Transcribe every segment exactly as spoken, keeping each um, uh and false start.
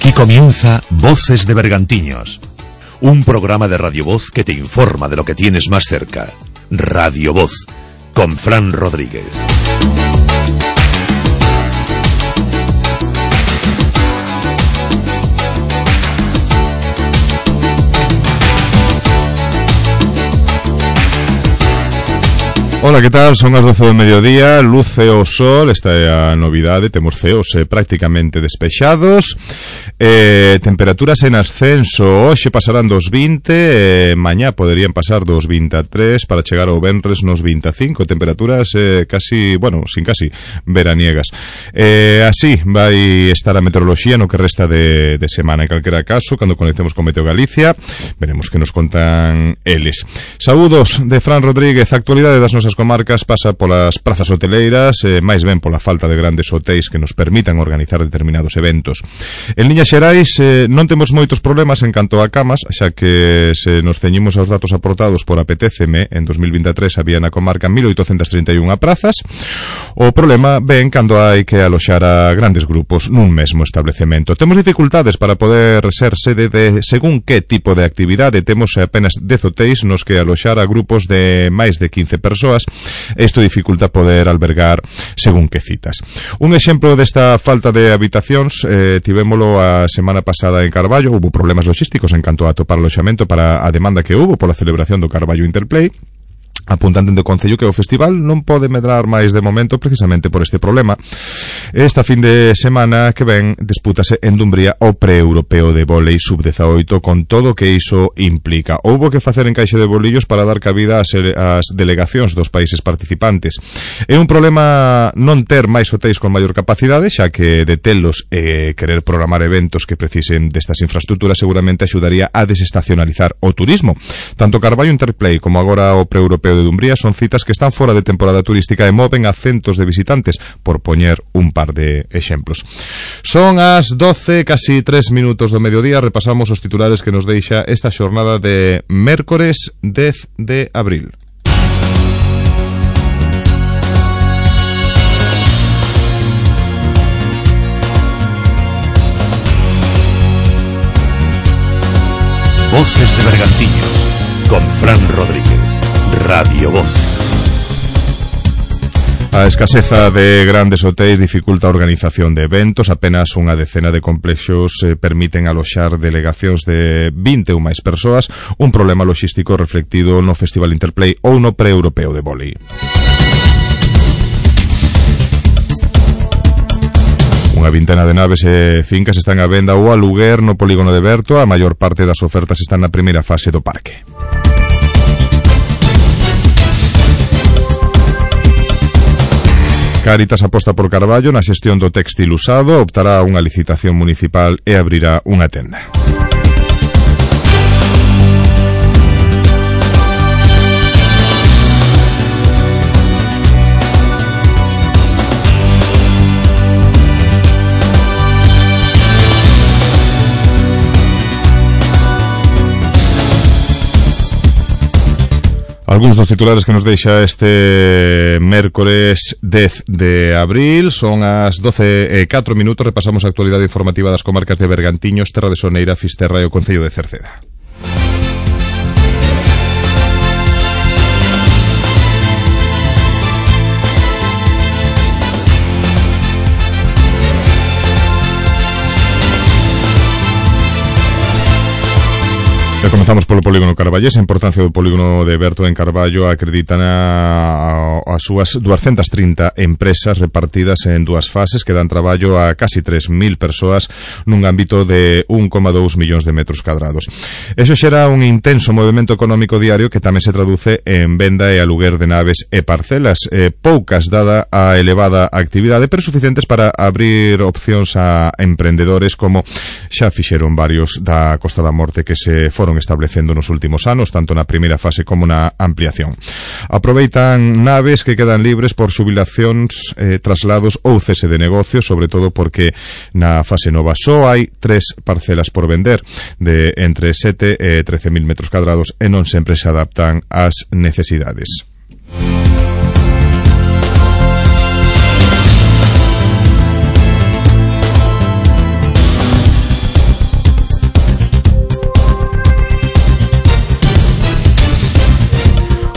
Aquí comienza Voces de Bergantiños, un programa de Radio Voz que te informa de lo que tienes más cerca. Radio Voz, con Fran Rodríguez. Ola, que tal? Son as doce do mediodía, luce o sol, esta é a novidade, temos ceos eh, prácticamente despexados, eh, temperaturas en ascenso, hoxe pasarán dos vinte, eh, mañá poderían pasar dos vinte e tres para chegar ao venres nos vinte e cinco, temperaturas eh, casi, bueno, sin casi veraniegas. Eh, así vai estar a meteoroloxía no que resta de, de semana, en calquera caso, cando conectemos con Meteo Galicia, veremos que nos contan eles. Saúdos de Fran Rodríguez, actualidade das nosas comarcas pasa polas prazas hoteleiras, eh, máis ben pola falta de grandes hotéis que nos permitan organizar determinados eventos. En liñas xerais eh, non temos moitos problemas en canto a camas, xa que se nos ceñimos aos datos aportados por Apetéceme, en dos mil vinte e tres había na comarca mil oitocentas trinta e unha prazas. O problema ven cando hai que aloxar a grandes grupos nun mesmo establecemento. Temos dificultades para poder ser sede de según que tipo de actividade. Temos apenas dez hotéis nos que aloxar a grupos de máis de quince persoas. Isto dificulta poder albergar según que citas. Un exemplo desta falta de habitacións eh, tivémolo a semana pasada en Carballo. Hubo problemas logísticos en canto a atopar aloxamento para a demanda que hubo pola celebración do Carballo Interplay. Apuntanten do Concello que o festival non pode medrar máis de momento precisamente por este problema. Esta fin de semana que ven dispútase en Dumbría o pre-europeo de vólei sub dezaoito con todo o que iso implica. Houbo que facer encaixe de bolillos para dar cabida ás, ás delegacións dos países participantes. É un problema non ter máis hotéis con maior capacidade, xa que detelos e querer programar eventos que precisen destas infraestructuras seguramente axudaría a desestacionalizar o turismo. Tanto Carballo Interplay como agora o pre-europeo de Dumbría son citas que están fora de temporada turística e moven a centos de visitantes, por poñer un par de exemplos. Son as doce, casi tres minutos do mediodía. Repasamos os titulares que nos deixa esta xornada de mércores dez de abril. Voces de Bergantiños, con Fran Rodríguez. Radio Voz. A escaseza de grandes hotéis dificulta a organización de eventos. Apenas unha decena de complexos eh, permiten aloxar delegacións de vinte ou máis persoas, un problema logístico reflectido no Festival Interplay ou no pre-europeo de vólei. Unha vintena de naves e fincas están a venda ou a aluguer no polígono de Berto. A maior parte das ofertas están na primeira fase do parque. Cáritas aposta por Carballo na xestión do téxtil usado, optará a unha licitación municipal e abrirá unha tenda. Algúns dos titulares que nos deixa este mércores dez de abril. Son as doce e catro minutos. Repasamos a actualidade informativa das comarcas de Bergantiños, Terra de Soneira, Fisterra e o Concello de Cerceda. E comenzamos polo polígono Carballés. A importancia do polígono de Berto en Carballo acreditan a, a súas duascentas trinta empresas repartidas en dúas fases que dan traballo a casi tres mil persoas nun ámbito de un coma dous millóns de metros cadrados. Eso xera un intenso movimento económico diario que tamén se traduce en venda e aluguer de naves e parcelas, eh, poucas dada a elevada actividade, pero suficientes para abrir opcións a emprendedores como xa fixeron varios da Costa da Morte que se foron establecendo nos últimos anos, tanto na primeira fase como na ampliación. Aproveitan naves que quedan libres por xubilacións, eh, traslados ou cese de negocios, sobre todo porque na fase nova só hai tres parcelas por vender de entre sete e trece mil metros cadrados e non sempre se adaptan ás necesidades.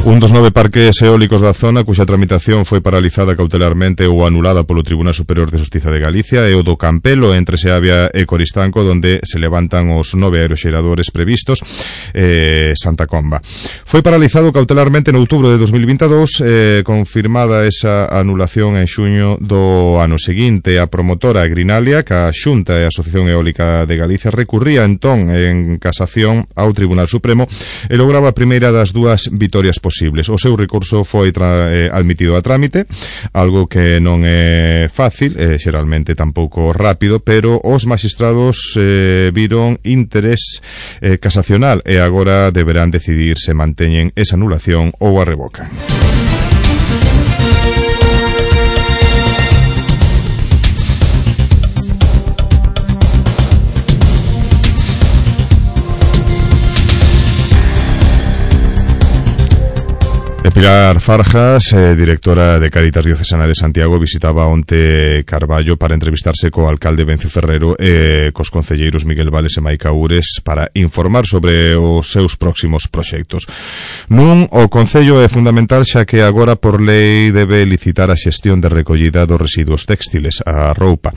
Un dos nove parques eólicos da zona cuxa tramitación foi paralizada cautelarmente ou anulada polo Tribunal Superior de Xustiza de Galicia é o do Campelo entre Seabia e Coristanco, donde se levantan os nove aeroxeradores previstos eh, Santa Comba. Foi paralizado cautelarmente en outubro de dos mil veintidós, eh, confirmada esa anulación en xuño do ano seguinte. A promotora Grinalia, que a Xunta e a Asociación Eólica de Galicia, recurría entón en casación ao Tribunal Supremo e lograba a primeira das dúas vitorias posibles. O seu recurso foi tra- eh, admitido a trámite, algo que non é fácil, eh, xeralmente tampouco rápido, pero os magistrados eh, viron interés eh, casacional e agora deberán decidir se manteñen esa anulación ou a revocan. Pilar Farjas, eh, directora de Cáritas Diocesana de Santiago, visitaba onte Carballo para entrevistarse co alcalde Vencio Ferrero e eh, cos concelleiros Miguel Vales e Maica Ures para informar sobre os seus próximos proxectos. Nun, o Concello é fundamental xa que agora por lei debe licitar a xestión de recollida dos residuos textiles, a roupa.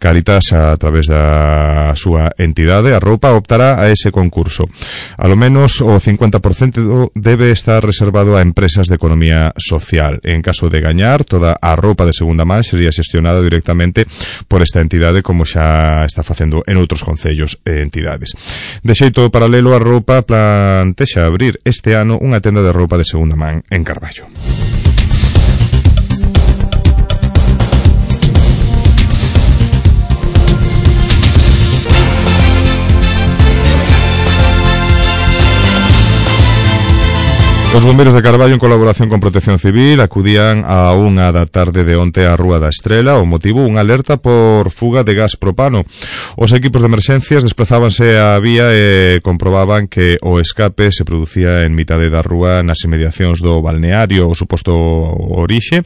Cáritas, a través da súa entidade, a roupa, optará a ese concurso. A lo menos o cincuenta por cento debe estar reservado a empresas de economía social. En caso de gañar, toda a roupa de segunda man sería xestionada directamente por esta entidade, como xa está facendo en outros concellos e entidades. De xeito paralelo, a roupa plantexa abrir este ano unha tenda de roupa de segunda man en Carballo. Os bombeiros de Carballo, en colaboración con Protección Civil, acudían a unha da tarde de onte á Rúa da Estrela. O motivo, unha alerta por fuga de gas propano. Os equipos de emerxencias desplazábanse á vía e comprobaban que o escape se producía en mitade da rúa nas inmediacións do balneario, o suposto orixe.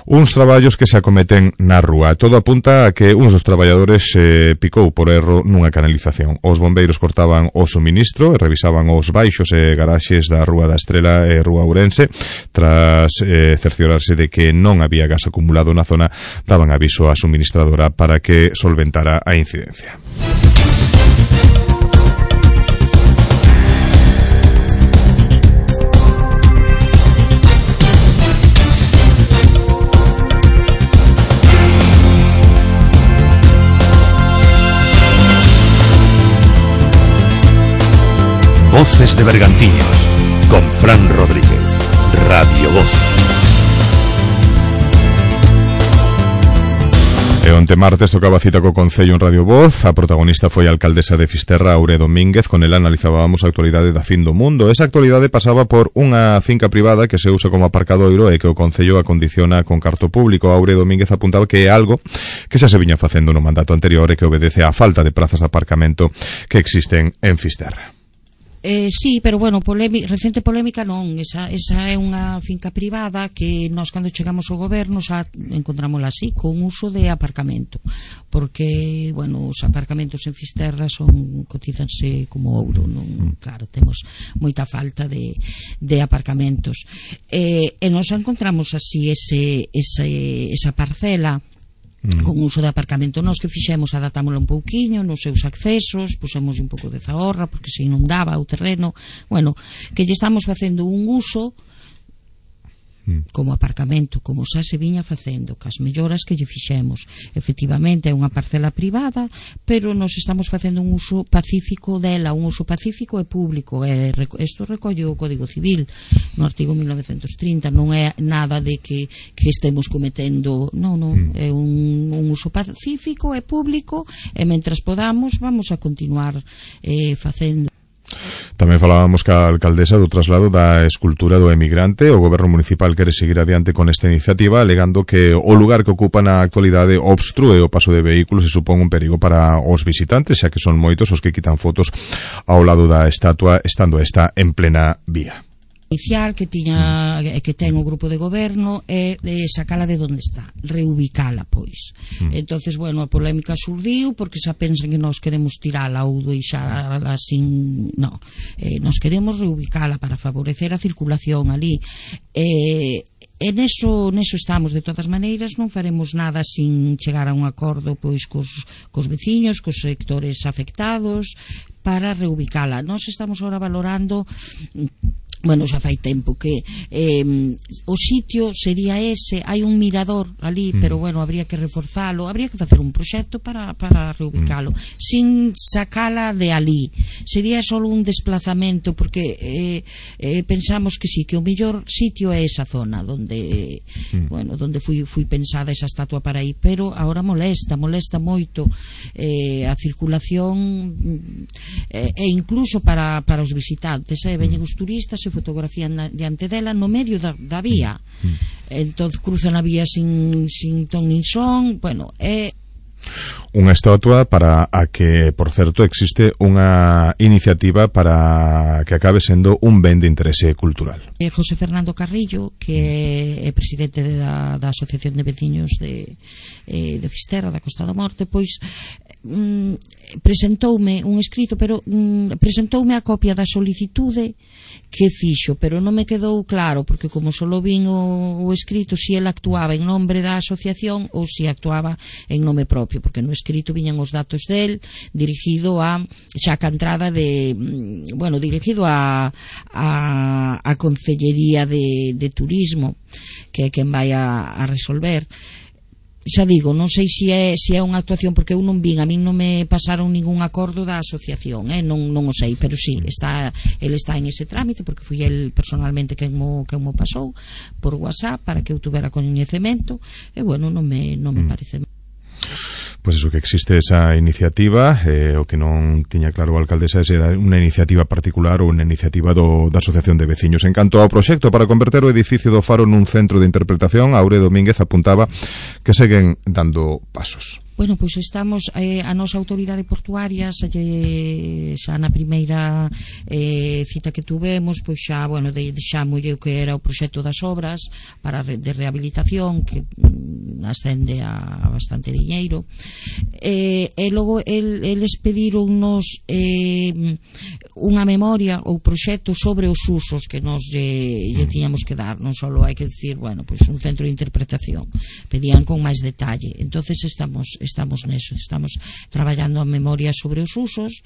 Uns traballos que se acometen na rúa. Todo apunta a que uns dos traballadores se picou por erro nunha canalización. Os bombeiros cortaban o suministro e revisaban os baixos e garaxes da Rúa da Estrela e Rúa Ourense. Tras eh, cerciorarse de que non había gas acumulado na zona, daban aviso á suministradora para que solventara a incidencia. Voces de Bergantiños con Fran Rodríguez, Radio Voz. E onte martes tocaba cita co Concello en Radio Voz. A protagonista foi a alcaldesa de Fisterra, Aure Domínguez. Con ela analizábamos a actualidade da fin do mundo. Esa actualidade pasaba por unha finca privada que se usa como aparcadoiro e que o Concello acondiciona con carto público. Aure Domínguez apuntaba que é algo que xa se viña facendo no mandato anterior e que obedece á falta de prazas de aparcamento que existen en Fisterra. Eh, sí, pero bueno, polémica, recente polémica non, esa, esa é unha finca privada que nós cando chegamos ao goberno xa encontrámola así, con uso de aparcamento, porque, bueno, os aparcamentos en Fisterra son, cotizanse como ouro, non, claro, temos moita falta de, de aparcamentos. Eh, e nós encontramos así ese, ese, esa parcela con uso de aparcamento. Nós que fixemos, adaptámoslo un pouquiño nos seus accesos, pusemos un pouco de zahorra porque se inundaba o terreno, bueno, que lle estamos facendo un uso como aparcamento, como xa se viña facendo, cas melloras que lle fixemos. Efectivamente é unha parcela privada, pero nos estamos facendo un uso pacífico dela, un uso pacífico e público. E isto recolle o Código Civil no artigo mil novecentos trinta, non é nada de que, que estemos cometendo, non, non, é un, un uso pacífico e público, e mentras podamos vamos a continuar eh, facendo. Tamén falábamos ca alcaldesa do traslado da escultura do emigrante. O goberno municipal quere seguir adiante con esta iniciativa, alegando que o lugar que ocupa na actualidade obstrúe o paso de vehículos e supón un perigo para os visitantes, xa que son moitos os que quitan fotos ao lado da estatua estando esta en plena vía. inicial que tiña que ten o grupo de goberno é de sacala de onde está, reubicala, pois. Mm. Entonces, bueno, a polémica surdiu porque xa pensan que nós queremos tirala ou deixala sin, no. Eh, nós queremos reubicala para favorecer a circulación ali. Eh, E neso, neso estamos, de todas maneiras, non faremos nada sin chegar a un acordo pois cos, cos veciños, cos sectores afectados, para reubicala. Nós estamos agora valorando, bueno, xa fai tempo que eh, o sitio sería ese, hai un mirador ali, mm. pero bueno, habría que reforzalo, habría que facer un proxecto para, para reubicalo, mm. sin sacala de ali. Sería só un desplazamento, porque eh, eh, pensamos que sí, que o mellor sitio é esa zona donde, mm. bueno, donde fui, fui pensada esa estatua para aí, pero agora molesta, molesta moito eh, a circulación eh, e incluso para, para os visitantes, eh, veñen os turistas e fotografían diante dela no medio da, da vía, mm. entón cruzan a vía sin, sin ton nin son. Bueno, é unha estatua para a que, por certo, existe unha iniciativa para que acabe sendo un ben de interese cultural. É José Fernando Carrillo, que é presidente da, da Asociación de Veciños de, eh, de Fisterra, da Costa da Morte, pois mm, presentoume un escrito, pero mm, presentoume a copia da solicitude que fixo, pero non me quedou claro, porque como solo vin o, o escrito, si ele actuaba en nombre da asociación ou si actuaba en nome propio, porque no escrito viñan os datos del dirigido a xa a entrada de, bueno, dirigido a a, a Concellería de, de Turismo, que é quen vai a, a resolver. Xa digo, non sei se é, se é unha actuación, porque eu non vin, a min non me pasaron ningún acordo da asociación, eh? non, non o sei, pero sí, está, ele está en ese trámite, porque fui el personalmente quen mo, quen mo pasou por WhatsApp para que eu tuvera coñecemento, e bueno, non me, non me parece. Pois iso, que existe esa iniciativa, eh, o que non tiña claro a alcaldesa se era unha iniciativa particular ou unha iniciativa do, da Asociación de Veciños. En canto ao proxecto para converter o edificio do Faro nun centro de interpretación, Aure Domínguez apuntaba que seguen dando pasos. Bueno, pois estamos, eh, a nosa autoridade portuaria xa, xa na primeira eh, cita que tuvemos, pois xa, bueno, deixámolle o que era o proxecto das obras para de rehabilitación, que mm, ascende a bastante diñeiro, eh, e logo el, eles pedironnos eh, unha memoria ou proxecto sobre os usos que nos lle, lle tiñamos que dar, non só hai que decir, bueno, pois un centro de interpretación, pedían con máis detalle. Entonces estamos estamos neso, estamos traballando a memoria sobre os usos.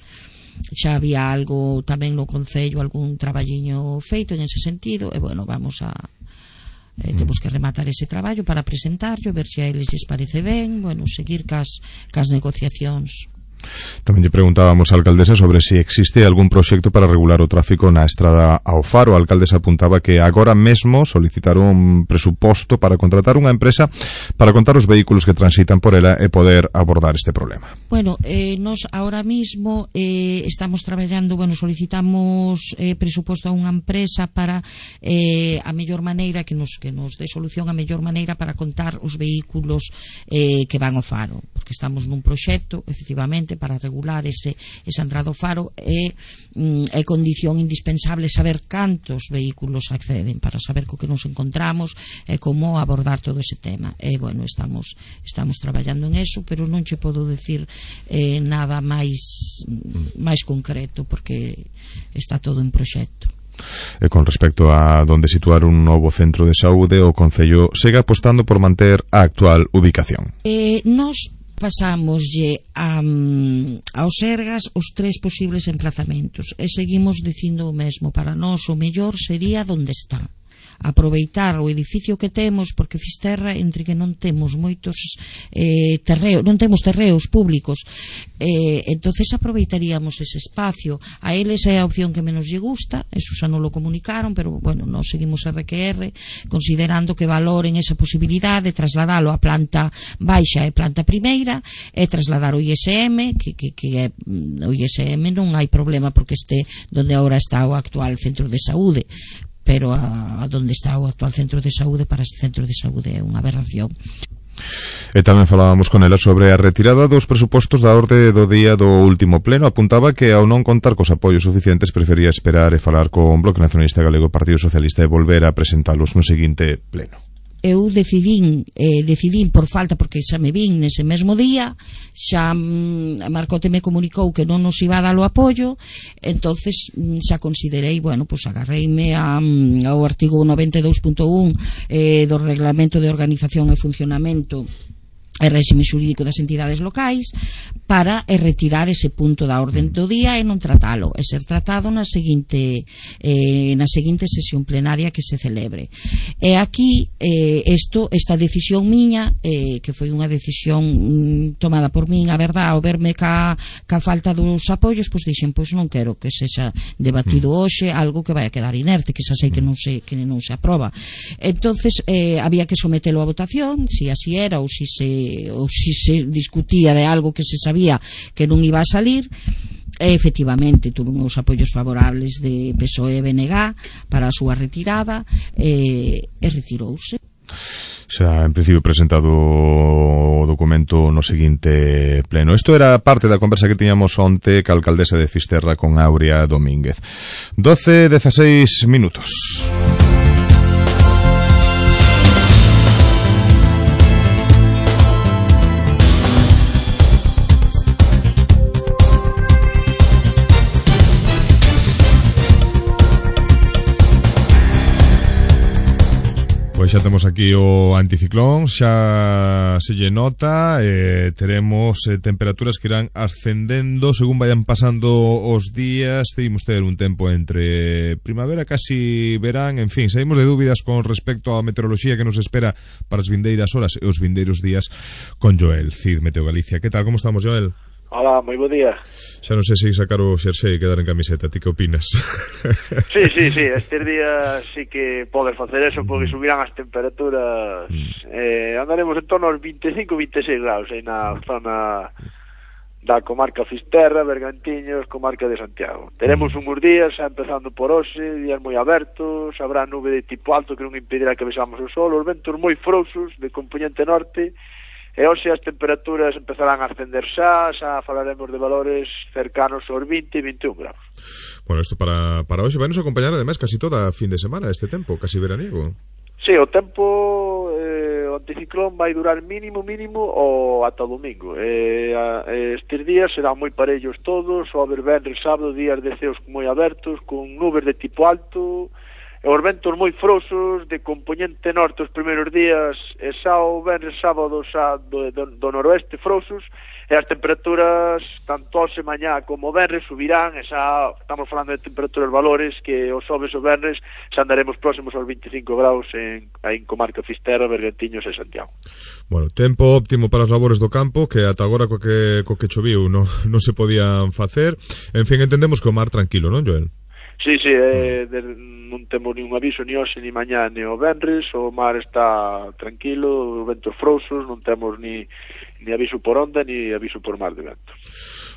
Xa había algo tamén no Concello, algún traballiño feito en ese sentido, e bueno, vamos a eh, temos que rematar ese traballo para presentarlo, ver se a eles lles parece ben, bueno, seguir cas, cas negociacións. Tamén lle preguntábamos á alcaldesa sobre se existe algún proxecto para regular o tráfico na estrada ao Faro. A alcaldesa apuntaba que agora mesmo solicitaron un presuposto para contratar unha empresa para contar os vehículos que transitan por ela e poder abordar este problema. Bueno, eh, nos ahora mismo eh, estamos traballando, bueno, solicitamos eh, presuposto a unha empresa para eh, a mellor maneira que nos, que nos dé solución a mellor maneira para contar os vehículos eh, que van ao Faro, porque estamos nun proxecto, efectivamente, para regular ese, esa entrada ao Faro, é, é condición indispensable saber cantos vehículos acceden, para saber co que nos encontramos e como abordar todo ese tema. E, bueno, estamos estamos traballando en eso, pero non che podo decir eh, nada máis máis concreto, porque está todo en proxecto. E con respecto a donde situar un novo centro de saúde, o Concello segue apostando por manter a actual ubicación. Eh, nos pasámoslle a, aos Sergas os tres posibles emplazamentos e seguimos dicindo o mesmo. Para nós o mellor sería donde está, aproveitar o edificio que temos, porque Fisterra, entre que non temos moitos eh, terreos, non temos terreos públicos, eh, entonces aproveitaríamos ese espacio. A eles é a opción que menos lle gusta, eso xa non lo comunicaron, pero bueno, nos seguimos R Q R considerando que valoren esa posibilidade de trasladalo a planta baixa e planta primeira e trasladar o I S M, que, que, que é, o I S M non hai problema porque este donde agora está o actual centro de saúde, pero a, a donde está o actual centro de saúde, para este centro de saúde é unha aberración. E tamén falábamos con ela sobre a retirada dos presupostos da orde do día do último pleno. Apuntaba que ao non contar cos apoios suficientes prefería esperar e falar con Bloque Nacionalista Galego e Partido Socialista e volver a presentalos no seguinte pleno. Eu decidín, eh, decidín por falta, porque xa me vin nese mesmo día, xa mm, a Marcote me comunicou que non nos iba a dar o apoio, entonces mm, xa considerei, bueno, pues agarreime a, mm, ao artigo noventa e dous punto un eh, do Reglamento de Organización e Funcionamento e réxime xurídico das entidades locais para eh, retirar ese punto da orden do día e non tratalo, e ser tratado na seguinte eh, na seguinte sesión plenaria que se celebre. E aquí eh, esto, esta decisión miña, eh, que foi unha decisión mm, tomada por min, a verdade, ao verme ca, ca falta dos apoios, pois dixen, pois non quero que sexa debatido hoxe algo que vai a quedar inerte, que xa sei que non se, que non se aproba. Entonces eh, había que sometelo a votación, si así era ou si se ou si se discutía de algo que se sabía que non iba a salir. E efectivamente tuve uns apoios favorables de P S O E e B N G para a súa retirada e, e retirouse. Será en principio presentado o documento no seguinte pleno. Isto era parte da conversa que tiñamos onte ca alcaldesa de Fisterra con Aurea Domínguez. doce dezaseis minutos. Pois xa temos aquí o anticiclón, xa se lle nota, eh, teremos eh, temperaturas que irán ascendendo según vayan pasando os días. Seguimos ter un tempo entre primavera, casi verán, en fin, saímos de dúbidas con respecto á meteoroloxía que nos espera para as vindeiras horas e os vindeiros días con Joel Cid, Meteo Galicia. Que tal, como estamos, Joel? Hola, moi bo día. Xa non sei se sacar o xersei e quedar en camiseta, ti que opinas? Sí, sí, sí, estes días sí que podes facer eso porque subirán as temperaturas. mm. eh, Andaremos en torno aos vinte e cinco a vinte e seis graus aí na zona da comarca Fisterra, Bergantiños, comarca de Santiago. Teremos uns días, xa empezando por hoxe, días moi abertos, habrá nube de tipo alto que non impedirá que vexamos o sol, os ventos moi frouxos de componente norte. E hoxe as temperaturas empezarán a ascender xa, xa falaremos de valores cercanos aos vinte e vinte e un graus. Bueno, isto para, para hoxe vai nos acompañar ademais casi toda a fin de semana este tempo, casi veraniego. Sí, o tempo, eh, o anticiclón vai durar mínimo, mínimo o ata o domingo. Eh, a, estes días serán moi parellos todos, o haber venres, sábado, días de ceos moi abertos, con nubes de tipo alto, e os ventos moi frouxos de componente norte os primeiros días, e xa o venres sábado xa do, do, do noroeste frouxos, e as temperaturas tanto hoxe mañá como venres subirán, e xa estamos falando de temperaturas valores que os xoves o venres xa andaremos próximos aos vinte e cinco graus en, en comarca Fisterra, Bergantiños e Santiago. Bueno, tempo óptimo para as labores do campo, que ata agora co que, co que choviu non, non se podían facer. En fin, entendemos que o mar tranquilo, non, Joel? Sí, sí, eh, de, non temos ni un aviso ni hoxe, ni mañá, ni o venres, o mar está tranquilo, ventos frouxos, non temos ni, ni aviso por onda, ni aviso por mar de vento.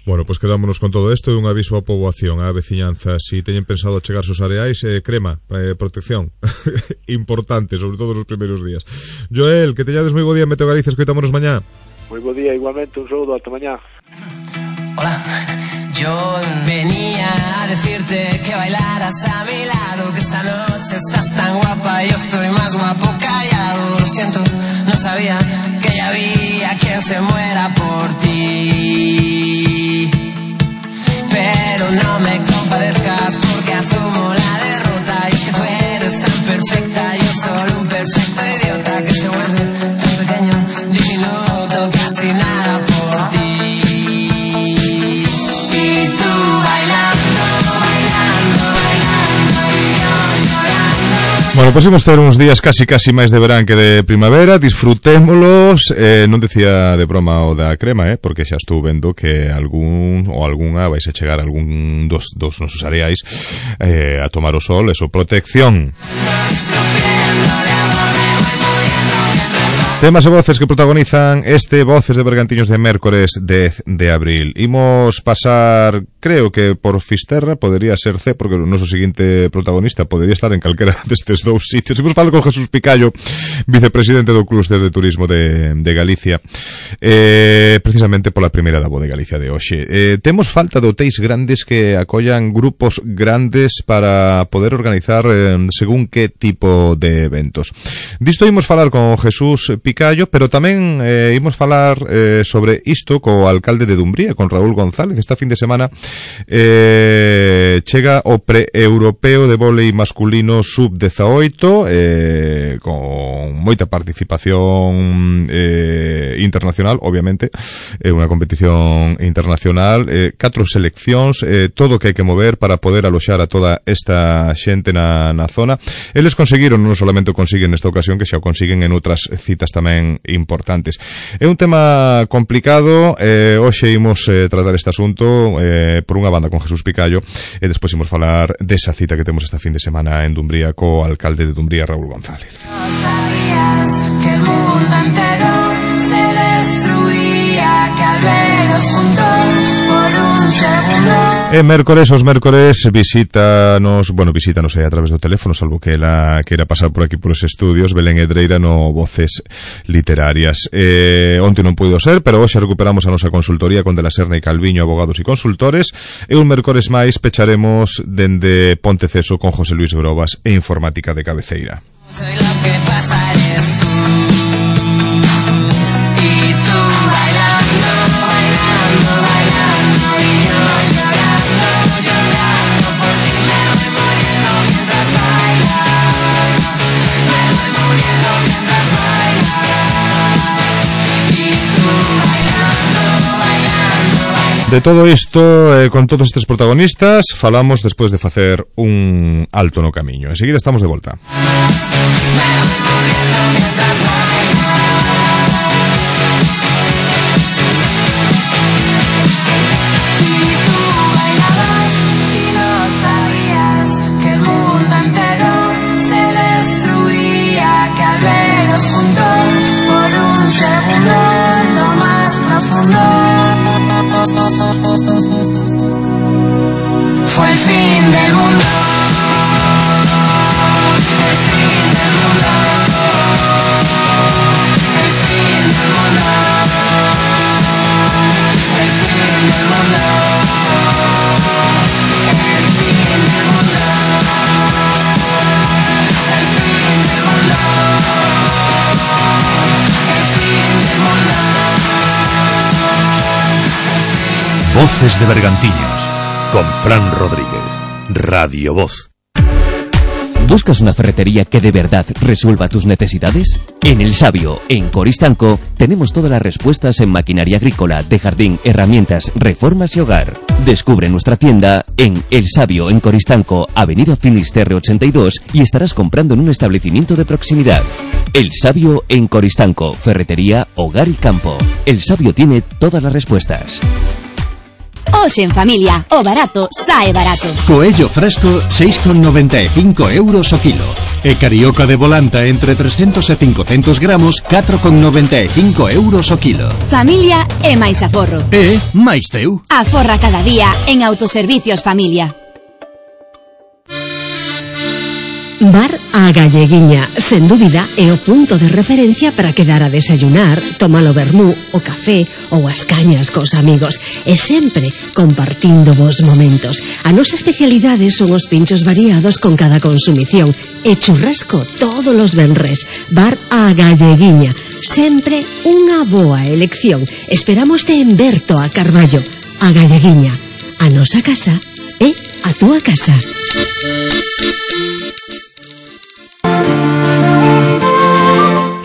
Bueno, pois pues quedámonos con todo isto e un aviso á poboación, á veciñanza, si teñen pensado chegar sus areais, eh, crema, eh, protección, importante, sobre todo nos primeiros días. Joel, que teñades moi bo día, Meteo Galicia, escoitámonos mañá. Moi bo día, igualmente, un saúdo, ata mañá. Hola. Yo venía a decirte que bailaras a mi lado, que esta noche estás tan guapa, yo estoy más guapo callado. Lo siento, no sabía que ya había quien se muera por ti. Pero no me compadezcas porque asumo la derrota. Y es que tú eres tan perfecta, yo solo un perfecto idiota que se vuelve tan pequeño, diminuto, casi nada por ti. Bueno, pois imos ter uns días casi casi máis de verán que de primavera, disfrutémolos, eh, non decía de broma o da crema, eh, porque xa estou vendo que algún ou algunha vais a chegar algún dos, dos nosos areais eh, a tomar o sol, eso, protección. Temas e voces que protagonizan este Voces de Bergantiños de mércores dez de abril. Imos pasar creo que por Fisterra podería ser C, porque o noso seguinte protagonista podería estar en calquera destes dous sitios. Imos falar con Jesús Picallo, vicepresidente do Clúster de Turismo de, de Galicia, eh, precisamente pola primeira da Voz de Galicia de hoxe. Eh, temos falta de hotéis grandes que acollan grupos grandes para poder organizar eh, según que tipo de eventos. Disto imos falar con Jesús Picallo, pero tamén eh, imos falar eh, sobre isto co alcalde de Dumbría, con Raúl González. Esta fin de semana eh, chega o pre-europeo de vólei masculino sub dezaoito, eh, con moita participación eh, internacional, obviamente, é eh, unha competición internacional, eh, catro seleccións, eh, todo o que hai que mover para poder aloxar a toda esta xente na, na zona. Eles conseguiron, non solamente o consiguen nesta ocasión, que xa o consiguen en outras citas tamén importantes. É un tema complicado, eh, hoxe imos eh, tratar este asunto eh, por unha banda con Jesús Picallo e despois imos falar desa cita que temos esta fin de semana en Dumbría co alcalde de Dumbría, Raúl González. No sabías que el mundo entero se destruía, que al vernos juntos por un segundo. E mércores, os mércores visítanos, bueno, visítanos aí a través do teléfono, salvo que ela queira pasar por aquí por os estudios, Belén Edreira no Voces Literarias. Eh, onte non puido ser, pero hoxe recuperamos a nosa consultoría con De la Serna e Calviño, abogados e consultores, e un mércores máis pecharemos dende Ponteceso con José Luis Grobas e Informática de Cabeceira. Soy lo que pasa eres tú. Y tú bailando, bailando, bailando, y yo llorando, llorando por ti. Me voy muriendo mientras bailas. Me voy muriendo mientras bailas. Y tú bailando, bailando, bailando. De todo isto, eh, con todos estes protagonistas, falamos despois de facer un alto no camiño. Enseguida estamos de volta. Me voy muriendo mientras bailas. Y tú bailabas y no sabías que el mundo entero se destruía, que al vernos juntos por un segundo en lo más profundo fue el fin del mundo. El fin del mundo. El fin del mundo. El fin del mundo. El fin del mundo. El fin del mundo. El fin del mundo. Voces de Bergantiños, con Fran Rodríguez, Radio Voz. ¿Buscas una ferretería que de verdad resuelva tus necesidades? En El Sabio, en Coristanco, tenemos todas las respuestas en maquinaria agrícola, de jardín, herramientas, reformas y hogar. Descubre nuestra tienda en El Sabio, en Coristanco, Avenida Finisterre ochenta y dos, y estarás comprando en un establecimiento de proximidad. El Sabio en Coristanco, ferretería, hogar y campo. El Sabio tiene todas las respuestas. Hoxe en familia, o barato sae barato. Coello fresco, seis con noventa e cinco euros o kilo. E carioca de volanta entre trescentos e cincocentos gramos, catro con noventa e cinco euros o kilo. Familia e máis aforro. E máis teu. Aforra cada día en Autoservicios Familia. Bar A Galleguiña, sen dúbida, é o punto de referencia para quedar a desayunar, tomar o vermú, o café ou as cañas cos amigos, e sempre compartindo vos momentos. A nosa especialidade son os pinchos variados con cada consumición e churrasco todos os venres. Bar A Galleguiña, sempre unha boa elección. Esperámoste en Berto a Carballo. A Galleguiña, a nosa casa é a túa casa.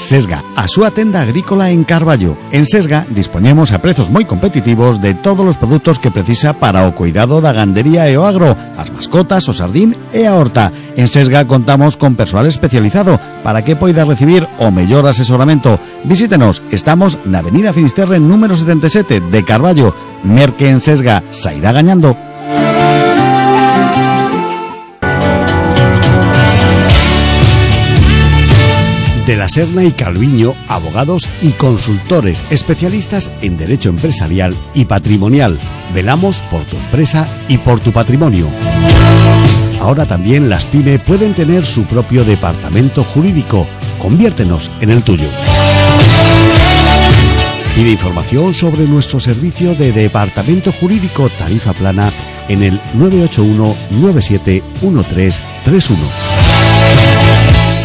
Sesga, a súa tenda agrícola en Carballo. En Sesga dispoñemos a prezos moi competitivos de todos os produtos que precisa para o cuidado da gandería e o agro, as mascotas, o sardín e a horta. En Sesga contamos con persoal especializado para que poida recibir o mellor asesoramento. Visítenos, estamos na Avenida Finisterre número setenta e sete de Carballo. Merque en Sesga, sairá gañando. De la Serna y Calviño, abogados y consultores especialistas en derecho empresarial y patrimonial. Velamos por tu empresa y por tu patrimonio. Ahora también las PYME pueden tener su propio departamento jurídico. Conviértenos en el tuyo. Pide información sobre nuestro servicio de departamento jurídico tarifa plana en el nueve ocho uno nueve siete uno tres tres uno.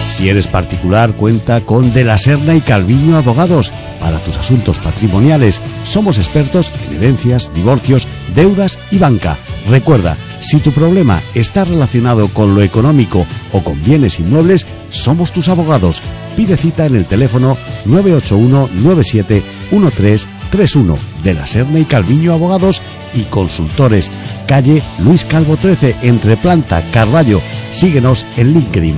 Si eres particular, cuenta con De la Serna y Calviño Abogados. Para tus asuntos patrimoniales, somos expertos en herencias, divorcios, deudas y banca. Recuerda, si tu problema está relacionado con lo económico o con bienes inmuebles, somos tus abogados. Pide cita en el teléfono nueve ocho uno nueve siete uno tres tres uno. De la Serna y Calviño Abogados y Consultores. Calle Luis Calvo trece, entre Planta, Carballo. Síguenos en LinkedIn.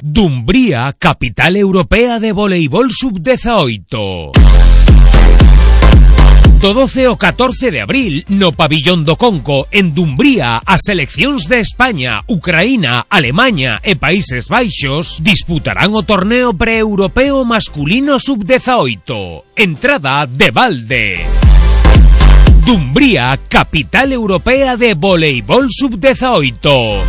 Dumbría, capital europea de voleibol sub dieciocho. Do doce ao catorce de abril, no Pabillón do Conco, en Dumbría, as seleccións de España, Ucraína, Alemaña e Países Baixos disputarán o torneo pre-europeo masculino sub dieciocho. Entrada de balde. Dumbría, capital europea de voleibol sub dieciocho.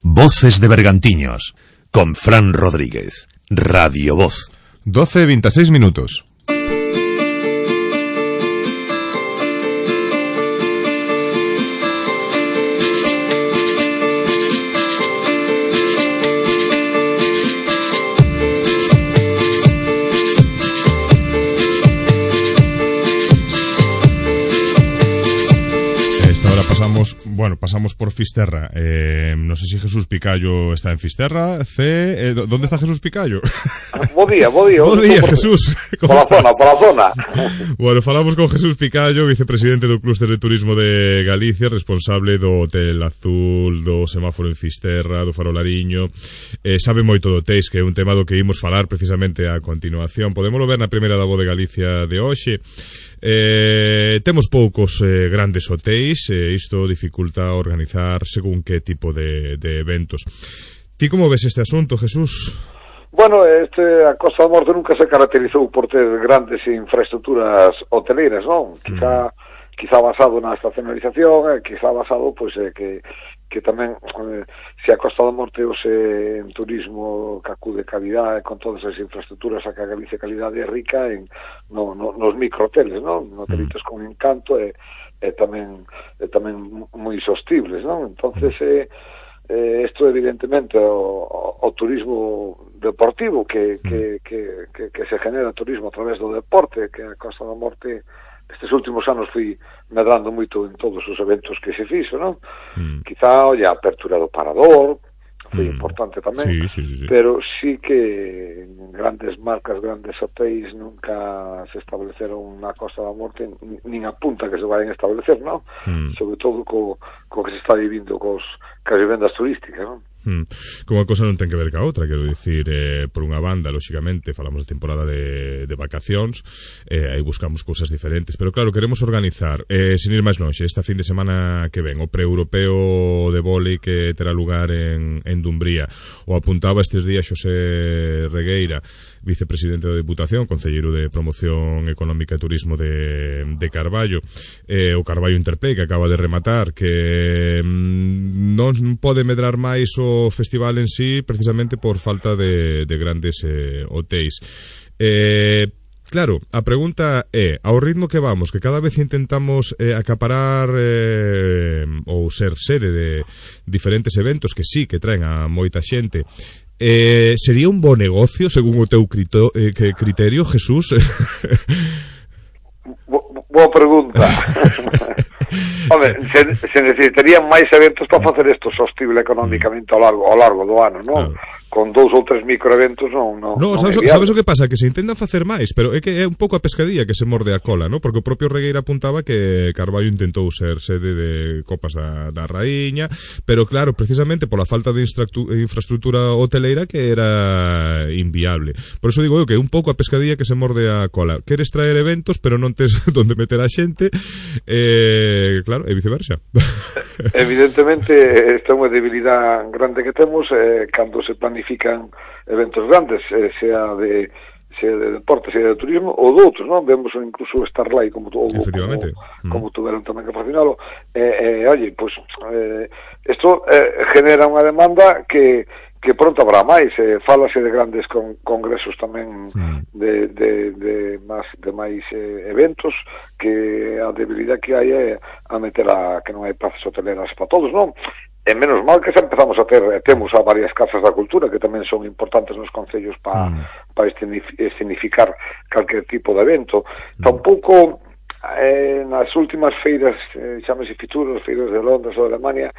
Voces de Bergantiños, con Fran Rodríguez, Radio Voz. doce veintiséis minutos. Pasamos, bueno, pasamos por Fisterra. Eh, no sé si Jesús Picayo está en Fisterra. C, eh, ¿dónde está Jesús Picayo? Bo día, bo día. Bo día, Jesús. Por la zona, por la zona. Bueno, falamos con Jesús Picayo, vicepresidente do Clúster de Turismo de Galicia, responsable do Hotel Azul, do semáforo en Fisterra, do Farolariño. Eh, sabe moito do hotéis, que é un tema do que imos falar precisamente a continuación. Podémolo ver na primeira da Voz de Galicia de hoxe. Eh, temos poucos eh, grandes hotéis, e eh, isto dificulta organizar según que tipo de, de eventos. Ti como ves este asunto, Jesús? Bueno, este, a Costa da Morte nunca se caracterizou por ter grandes infraestructuras hoteleiras, non? Quizá, mm. quizá basado na estacionalización, eh, quizá basado, pois, eh, que que tamén, eh, se a Costa da Morte ou se en turismo que acude calidade con todas as infraestructuras a que a Galicia calidade é rica en no, no, nos microhoteles, non? Hotelitos con encanto e, e tamén e tamén moi sostibles, non? Entonces eh, eh, isto evidentemente o, o, o turismo deportivo que, que, que, que, que se genera turismo a través do deporte, que a Costa da Morte estes últimos anos fui medrando moito en todos os eventos que se fixo, non? Mm. Quizá, olla, a apertura do Parador foi mm. importante tamén, sí, sí, sí, sí. Pero sí que grandes marcas, grandes hotéis nunca se estableceron na Costa da Morte, nin a punta que se vayan a establecer, non? Mm. Sobre todo co, co que se está vivindo cos, cas vivendas turísticas, non? Hmm. Como a cosa non ten que ver ca outra, quero dicir, eh, por unha banda, lóxicamente, falamos de temporada de, de vacacións, eh, aí buscamos cousas diferentes, pero claro, queremos organizar, eh, sin ir máis longe, esta fin de semana que ven, o pre-europeo de vólei que terá lugar en, en Dumbría. O apuntaba estes días Xosé Regueira, vicepresidente da Deputación, concelleiro de Promoción Económica e Turismo de, de Carballo, eh, o Carballo Interplay, que acaba de rematar, que mm, non pode medrar máis o festival en sí precisamente por falta de, de grandes eh, hotéis. Eh, claro, a pregunta é, ao ritmo que vamos, que cada vez intentamos eh, acaparar eh, ou ser sede de diferentes eventos que sí que traen a moita xente, eh, sería un bo negocio según o teu crito, eh, que criterio, Jesús? Bo, boa pregunta. Home, se, se necesitarían máis eventos para facer isto sostible económicamente ao largo, ao largo do ano, non? Claro. Con dous ou tres microeventos non, non, no, non sabes, sabes o que pasa? Que se intentan facer máis, pero é que é un pouco a pescadilla que se morde a cola, non? Porque o propio Regueira apuntaba que Carballo intentou ser sede de Copas da, da Raíña, pero claro, precisamente pola falta de infraestructura hoteleira que era inviable. Por eso digo eu que é un pouco a pescadilla que se morde a cola. Queres traer eventos, pero non tes donde meter a xente, eh, eh, claro, e viceversa. Evidentemente, esta é unha debilidade grande que temos eh, cando se planifican eventos grandes, eh, sea de sea de deporte, sea de turismo ou de outros, non? Vemos incluso Starlight como tu, efectivamente como, como tuveron tamén que patrocinalo. Eh, eh, oye, pues eh, isto eh, genera unha demanda que que pronto habrá máis, eh, fálase de grandes con, congresos tamén mm. de, de, de, más, de máis eh, eventos, que a debilidade que hai é a meter a que non hai plazas hoteleras para todos, non? E menos mal que xa empezamos a ter, temos a varias casas da cultura que tamén son importantes nos concellos para mm. pa escenificar calquer tipo de evento. Mm. Tampouco eh, nas últimas feiras, eh, chámese Futuros, feiras de Londres ou de Alemania,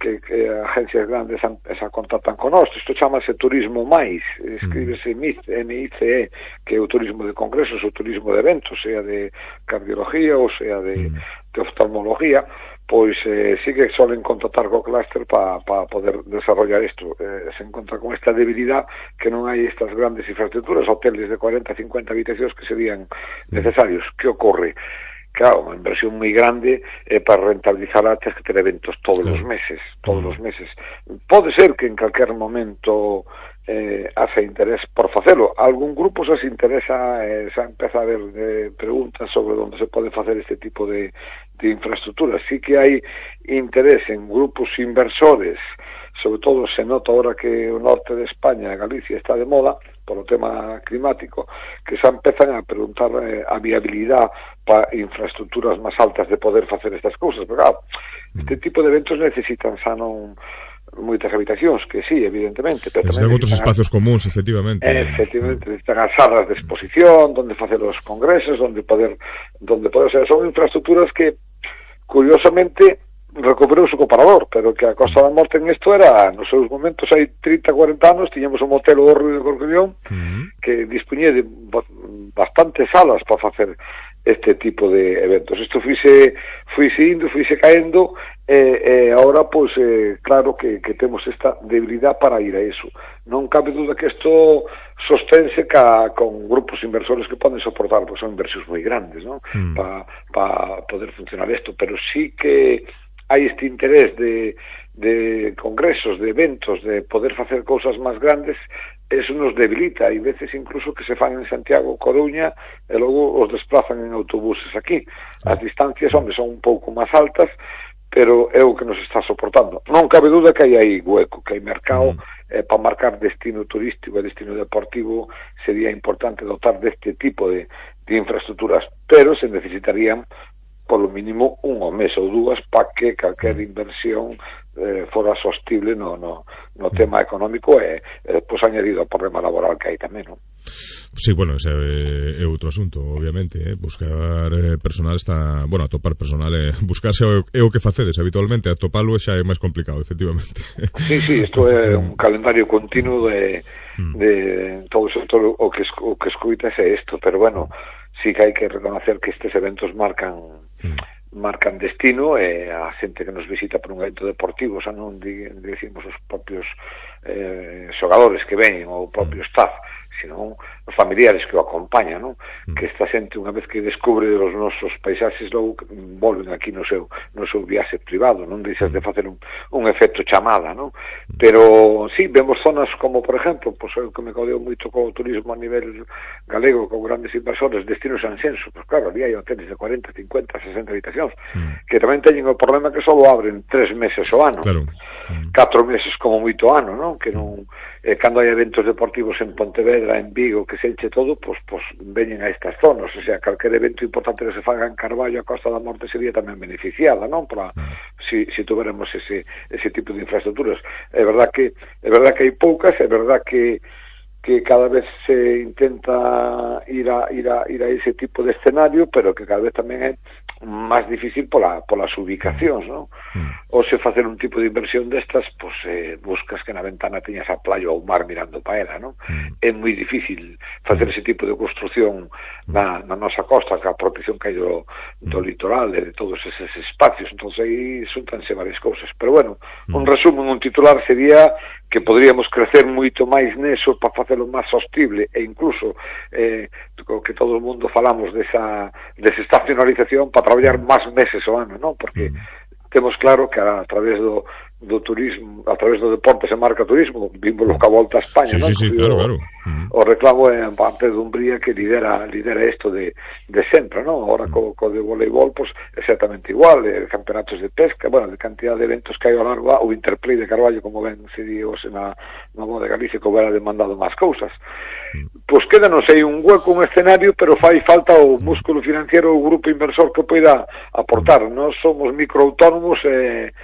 que, que agencias grandes se contactan con nós. Isto chamase turismo máis, escríbese M I C E, que é o turismo de congresos, o turismo de eventos, sea de cardiología ou sea de, de oftalmología, pois eh, sí que solen contactar co clúster para pa poder desarrollar isto. Eh, se encontra con esta debilidade que non hai estas grandes infraestructuras, hoteles de cuarenta, cincuenta habitacións que serían necesarios. Que ocorre? Claro, unha inversión moi grande eh, para rentabilizar antes que ter eventos todos os meses, todos os meses. Pode ser que en calquer momento eh, hace interés por facelo. Algún grupo xa se interesa, eh, xa empeza a haber eh, preguntas sobre onde se pode facer este tipo de, de infraestructuras. Sí que hai interés en grupos inversores, sobre todo se nota ahora que o norte de España, Galicia, está de moda polo tema climático, que xa empezan a preguntar eh, a viabilidade para infraestructuras máis altas de poder facer estas cousas. Pero claro, este tipo de eventos necesitan xa non moitas habitacións, que sí, evidentemente, pero necesitan outros espacios comuns, efectivamente. Eh, efectivamente, necesitan as salas de exposición, donde facer os congresos, donde poder, donde poder ser, son infraestructuras que, curiosamente, recuperou o comparador, pero que a Costa da Morte en isto era, nos seus momentos, hai trinta, cuarenta anos, tiñamos un motel o Río de Corcubión, uh-huh. que dispuñía de bastantes salas para facer este tipo de eventos. Isto fuise, fuise indo, fuise caendo, e eh, agora, pois, eh, claro que, que temos esta debilidade para ir a iso. Non cabe duda que isto sostense ca, con grupos inversores que poden soportar, pois son inversións moi grandes, non? Mm. Para pa poder funcionar isto, pero sí que hai este interés de, de congresos, de eventos, de poder facer cousas máis grandes. Eso nos debilita, hai veces incluso que se fan en Santiago, Coruña, e logo os desplazan en autobuses aquí. As distancias onde son un pouco máis altas, pero é o que nos está soportando. Non cabe duda que hai aí hueco, que hai mercado, mm. eh, para marcar destino turístico e destino deportivo sería importante dotar deste tipo de, de infraestructuras, pero se necesitarían polo mínimo un o mes ou dúas para que calquer inversión eh, fora sostible no, no, no tema económico e eh, pois añadido ao problema laboral que hai tamén, non? Sí, bueno, ese é outro asunto, obviamente, eh? Buscar eh, personal está, bueno, atopar personal, eh, buscarse é o que facedes habitualmente, atopalo xa é máis complicado, efectivamente. Sí, sí, isto é un calendario continuo de, de todo o sector, o que, o que escuitas é isto, pero bueno, sí que hai que reconocer que estes eventos marcan marcan destino, e a xente que nos visita por un evento deportivo, xa non dicimos os propios eh, xogadores que ven ou o propio staff, sino os familiares que o acompañan, non? Mm. Que esta xente, unha vez que descubre os nosos paisaxes, logo volven aquí no seu, no seu viaxe privado, non deixas de facer un, un efecto chamada, non? Pero, sí, vemos zonas como, por exemplo, pois eu que me codeo moito co turismo a nivel galego, con grandes inversores, destinos Sanxenso, pois claro, ali hai hoteles de cuarenta, cincuenta, sesenta habitacións, mm. que tamén teñen o problema que só abren tres meses ao ano, claro. mm. catro meses como moito ano, non? Que non, eh, cando hai eventos deportivos en Pontevedra, en Vigo, que se enche todo, pois, pois veñen a estas zonas, o sea, calquer evento importante que se faga en Carballo, a Costa da Morte sería tamén beneficiada, non? Para, si, si tuveremos ese, ese tipo de infraestructuras. É verdad que é verdad que hai poucas, é verdad que que cada vez se intenta ir a, ir a, ir a ese tipo de escenario, pero que cada vez tamén é máis difícil pola, polas ubicacións, non? Mm. Ou se facer un tipo de inversión destas, pois eh, buscas que na ventana teñas a playa ou o mar mirando para ela, non? Mm. É moi difícil facer ese tipo de construción na, na nosa costa, a protección que hai do, do litoral e de todos eses espacios. Entón aí xuntanse varias cousas, pero bueno, un resumen, un titular sería que poderíamos crecer moito máis neso para facelo máis sostible e incluso eh, que todo o mundo falamos desa desestacionalización para traballar máis meses ao ano, non? Porque temos claro que a, a través do, do turismo, a través do deporte se marca turismo, vimos lo que a volta a España, sí, non? Sí, sí, claro, claro. O reclamo en parte de Umbría que lidera lidera isto de, de sempre, non? Ahora co, co de voleibol, pues, exactamente igual, de campeonatos de pesca, bueno, de cantidad de eventos que hai ao largo, o Interplay de Carballo, como ben se di hoxe na, na Boa de Galicia, que hubiera demandado máis cousas. Pois quédanos aí un hueco, un escenario, pero fai falta o músculo financiero, o grupo inversor que poida aportar. Nós somos microautónomos e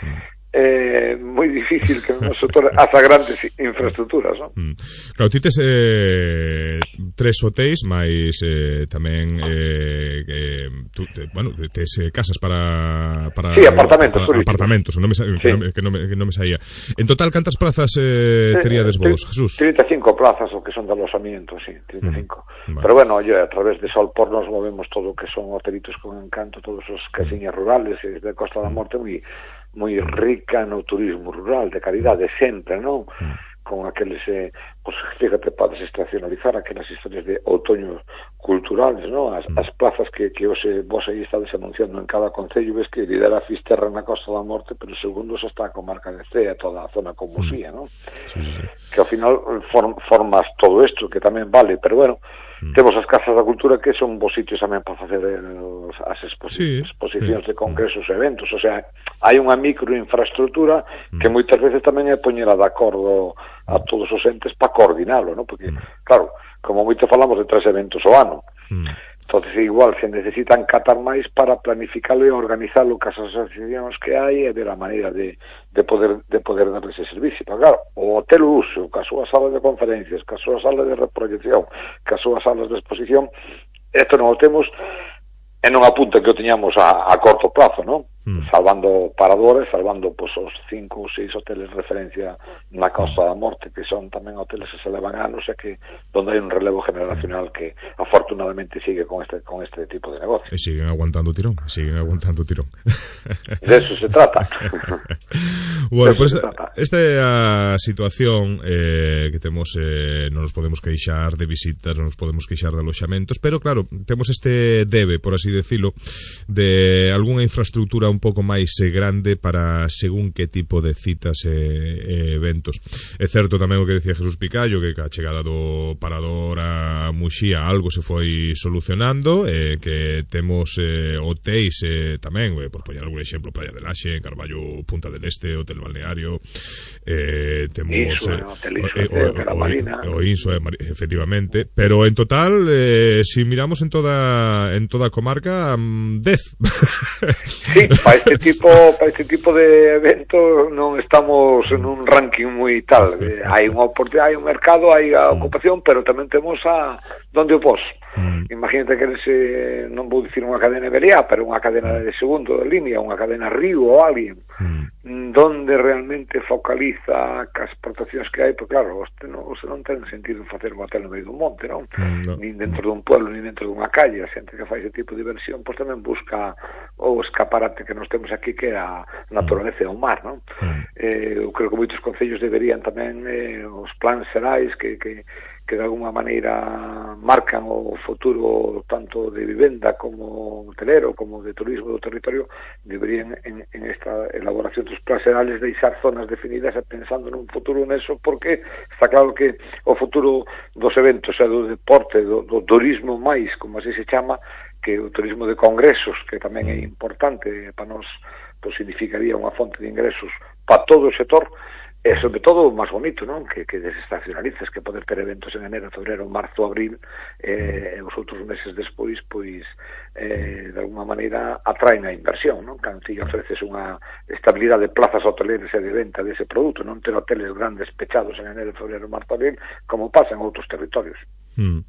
é moi difícil que no sector haza grandes infraestructuras, non? Mm. Claro, ti tes eh, tres hotéis, máis eh, tamén eh, eh, tú, te, bueno, tes eh, casas para, para sí, apartamentos, para, apartamentos, non me, sí. que, non, que, non me, que non me saía. En total, cantas plazas eh, teríades vos, Jesús? trinta e cinco plazas, o que son de alojamiento, sí, trinta e cinco. Mm. Vale. Pero bueno, oye, a través de Solpor nos movemos todo o que son hotelitos con encanto, todos os casiñas rurales e de Costa da Morte, moi moi rica no turismo rural de calidade sempre, non? Con aqueles, eh, pues, fíjate, podes estacionalizar aquelas historias de outoños culturales, non? As, as plazas que, que hoxe vos aí estades anunciando en cada concello, ves que lidera Fisterra na Costa da Morte, pero segundo xa está a comarca de Cea, toda a zona con Musía, non? Sí, sí. Que ao final form, formas todo isto, que tamén vale, pero bueno, Mm. temos as casas da cultura que son bons sitios tamén para facer el, as exposi sí, exposicións sí. de congresos e eventos, o sea, hai unha microinfraestructura mm. que moitas veces tamén é poñela de acordo a todos os entes para coordinalo, ¿no? Porque, mm. claro, como moito falamos de tres eventos ao ano, mm. entonces igual se necesitan catar máis para planificarlo e organizarlo cas asociacións que hai e ver a maneira de, de poder de poder dar ese servicio. Pero claro, o hotel uso, cas súas salas de conferencias, cas súas salas de reproyección, cas súas salas de exposición, isto non o temos e non apunta que o teñamos a, a corto plazo, non? Mm. Salvando paradores, salvando pues, os cinco ou seis hoteles de referencia na Costa da Morte, que son tamén hoteles que se levan anos e que donde hai un relevo generacional que afortunadamente sigue con este con este tipo de negocio. E siguen aguantando tirón, siguen aguantando tirón. De eso se trata. Bueno, pues esta, esta é a situación eh, que temos, eh, non nos podemos queixar de visitas, non nos podemos queixar de aloxamentos, pero claro, temos este debe, por así decirlo, de algunha infraestructura un pouco máis grande para según que tipo de citas e, e eventos. É certo tamén o que decía Jesús Picallo, que a chegada do parador a Muxía algo se foi solucionando, eh, que temos eh, hotéis eh, tamén, eh, por poñer algún exemplo, Praia de Laxe, Carballo, Punta del Este, Hotel Balneario, eh, temos Iso, eh, Hotel Iso, o, o, o, o Inso, eh, efectivamente, pero en total, eh, si miramos en toda en toda a comarca, um, dez. Sí, para este tipo para este tipo de eventos non estamos en un ranking moi tal. Eh, hai unha oportunidade, hai un mercado, hai a ocupación, pero tamén temos a donde o pos. Mm. Imagínate que ese, non vou dicir unha cadena Iberia, pero unha cadena de segundo de línea, unha cadena Río ou alguén, mm. donde realmente focaliza as exportacións que hai, porque claro, este non, este non ten sentido facer un hotel no medio dun monte, non? Mm, no. Nin dentro dun pueblo, nin dentro dunha calle. A xente que fai ese tipo de diversión, pois tamén busca o escaparate que nos temos aquí, que é a naturaleza e o mar, non? Mm. Eh, eu creo que moitos concellos deberían tamén eh, os plans xerais que, que que de alguma maneira marcan o futuro tanto de vivenda como hotelero, como de turismo do territorio, deberían en, en esta elaboración dos plans xerales deixar zonas definidas e pensando nun futuro neso, porque está claro que o futuro dos eventos e do deporte, do, do turismo máis, como así se chama, que o turismo de congresos, que tamén é importante para nós, pues significaría unha fonte de ingresos para todo o sector, e sobre todo o máis bonito, non? Que, que desestacionalizas, que poder ter eventos en enero, febrero, marzo, abril, e eh, os outros meses despois, pois, eh, de alguma maneira atraen a inversión, non? Cando ti ofreces unha estabilidade de plazas hoteleras e de venta dese produto, non ter hoteles grandes pechados en enero, febrero, marzo, abril, como pasa en outros territorios. Mm.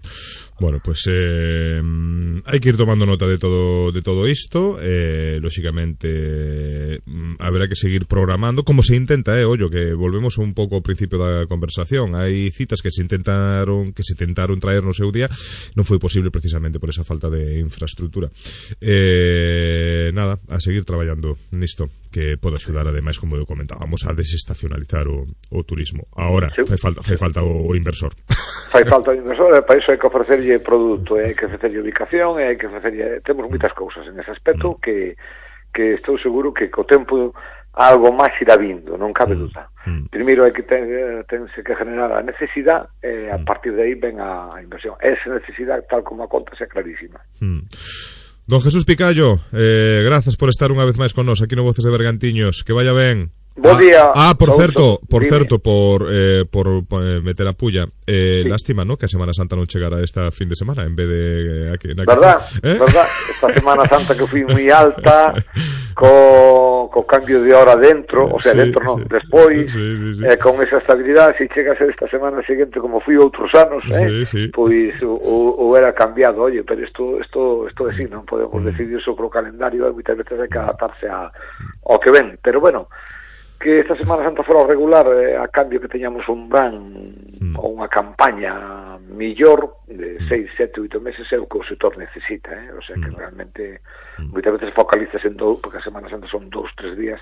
Bueno, pues eh, hai que ir tomando nota de todo de todo isto, eh, lóxicamente haberá que seguir programando como se intenta, eh, ollo, que volvemos un pouco ao principio da conversación. Hai citas que se intentaron que se tentaron traer no seu día, non foi posible precisamente por esa falta de infraestructura. Eh, nada, a seguir traballando nisto, que pode axudar ademais, como eu comentábamos, a desestacionalizar o, o turismo. Ahora, sí. fai falta fai falta o, o inversor. Fai falta o inversor, e para iso hai que ofrecerlle produto, e hai que ofrecerlle ubicación, e hai que ofrecerlle... Temos moitas cousas en ese aspecto mm. que, que estou seguro que co tempo algo máis irá vindo, non cabe mm. duda. Mm. Primeiro hai que ten, tense que generar a necesidade, e a partir de aí ven a, a inversión. Esa necesidade, tal como a conta, é clarísima. Mm. Don Jesús Picallo, eh, grazas por estar unha vez máis con nós aquí no Voces de Bergantiños. Que vaya ben. Bo día. Ah, por certo, por Dime. certo, por eh, por, por eh, meter a pulla. Eh, sí. Lástima, ¿no? Que a Semana Santa non chegara esta fin de semana en vez de eh, aquí, aquí. Verdad, ¿Eh? verdad. Esta Semana Santa que fui moi alta co, co cambio de hora dentro, o sea, sí, dentro non, sí. despois sí, sí, sí. Eh, con esa estabilidade, se chega a ser esta semana seguinte como fui outros anos, eh, sí, sí. pois o, o era cambiado, oye, pero isto isto isto é así, non podemos mm. decidir sobre o calendario, e moitas veces hai que adaptarse a ao que ven, pero bueno, que esta Semana Santa fora regular, eh, a cambio que teñamos un ban mm. ou unha campaña millor de seis, sete, oito meses é o que o sector necesita, eh? O sea que mm. realmente mm. moitas veces focalizas en dous, porque a Semana Santa son dous, tres días,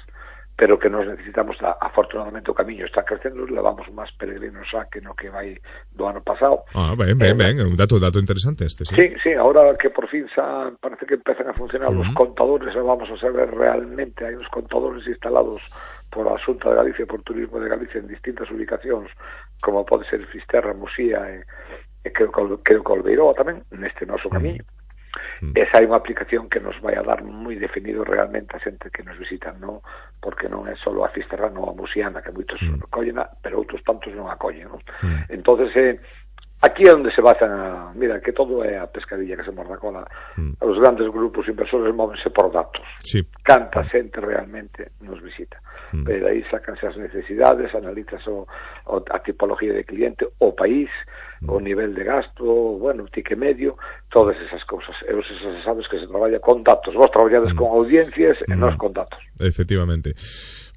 pero que nos necesitamos, a, afortunadamente o camiño está crecendo, levamos máis peregrinos xa que no que vai do ano pasado. Ah, ben, ben, eh, ben, un dato, dato interesante este, sí. Sí, sí, ahora que por fin xa parece que empezan a funcionar mm. os contadores, vamos a saber realmente, hai uns contadores instalados por a Xunta de Galicia e por Turismo de Galicia en distintas ubicacións, como pode ser Fisterra, Musía e, e creo que Colbeiroa tamén, neste noso camiño. Mm. Esa é unha aplicación que nos vai a dar moi definido realmente a xente que nos visitan, non? Porque non é só a Fisterra, non a Musiana, que moitos mm. acollen, pero outros tantos non acollen, non? Mm. Entonces, eh, aquí é onde se basan a... Mira, que todo é a pescadilla que se morda a cola. Mm. Os grandes grupos inversores móvense por datos. Sí. Canta xente realmente nos visita. Mm. Pero aí sacanse as necesidades, analizas o, o, a tipología de cliente, o país, mm. o nivel de gasto, bueno, o tique medio, todas esas cousas. E os esas sabes que se traballa con datos. Vos traballades mm. con audiencias e mm. nós con datos. Efectivamente.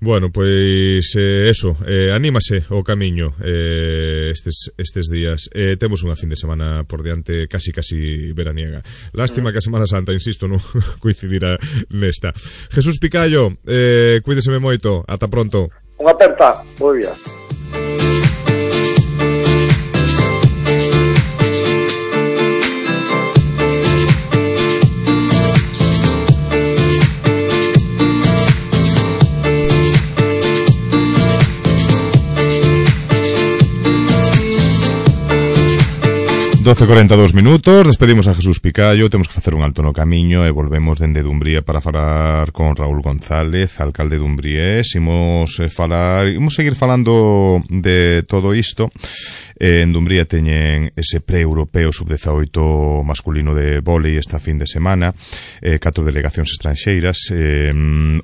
Bueno, pois eh, eso, eh, anímase o camiño eh, estes, estes días. Eh, temos unha fin de semana por diante casi casi veraniega. Lástima que a Semana Santa, insisto, non coincidirá nesta. Jesús Picallo, eh, cuídeseme moito. Ata pronto. Unha aperta, moi bien. doce e cuarenta e dous minutos, despedimos a Jesús Picallo, temos que facer un alto no camiño e volvemos dende Dumbría para falar con Raúl González, alcalde de Dumbriés. Imos eh, falar, imos seguir falando de todo isto. Eh, en Dumbría teñen ese pre-europeo sub dezaoito masculino de vólei esta fin de semana, eh, catro delegacións estranxeiras, eh,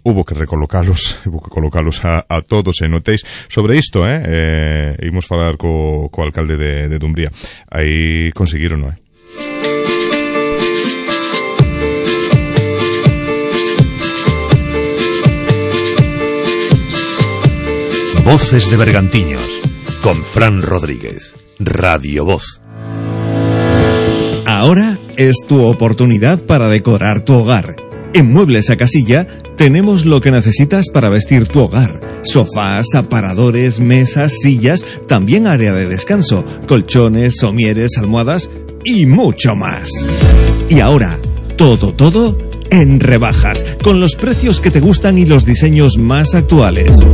hubo que recolocalos, hubo que colocalos a, a todos en hotéis. Sobre isto, eh, eh imos falar co, co alcalde de, de Dumbría. Aí conseguiron, non é? Voces de Bergantiños con Fran Rodríguez, Radio Voz. Ahora es tu oportunidad para decorar tu hogar. En Muebles a Casilla tenemos lo que necesitas para vestir tu hogar. Sofás, aparadores, mesas, sillas, también área de descanso, colchones, somieres, almohadas y mucho más. Y ahora, todo, todo en rebajas, con los precios que te gustan y los diseños más actuales.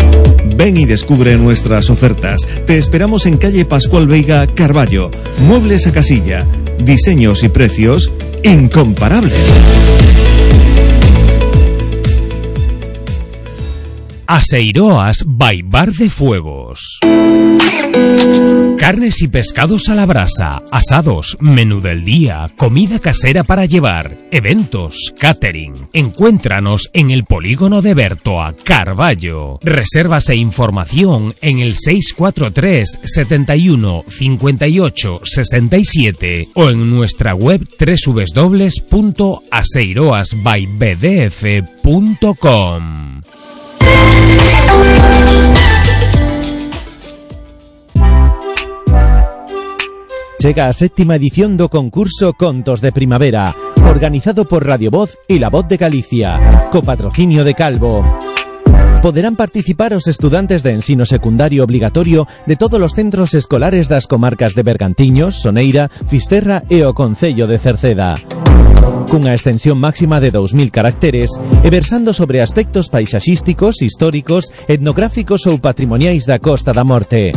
Ven y descubre nuestras ofertas. Te esperamos en calle Pascual Veiga, Carballo. Muebles a Casilla. Diseños y precios incomparables. Aseiroas by Bar de Fuegos. Carnes y pescados a la brasa, asados, menú del día, comida casera para llevar, eventos, catering. Encuéntranos en el polígono de Bertoa, Carballo. Reservas e información en el seis cuatro tres, setenta y uno, cincuenta y ocho, sesenta y siete o en nuestra web doble u doble u doble u punto aseiroas by b d f punto com. Chega a séptima edición do concurso Contos de Primavera, organizado por Radio Voz e La Voz de Galicia, co patrocinio de Calvo. Poderán participar os estudantes de ensino secundario obligatorio de todos os centros escolares das comarcas de Bergantiños, Soneira, Fisterra e o Concello de Cerceda. Cunha extensión máxima de dous mil caracteres e versando sobre aspectos paisaxísticos, históricos, etnográficos ou patrimoniais da Costa da Morte.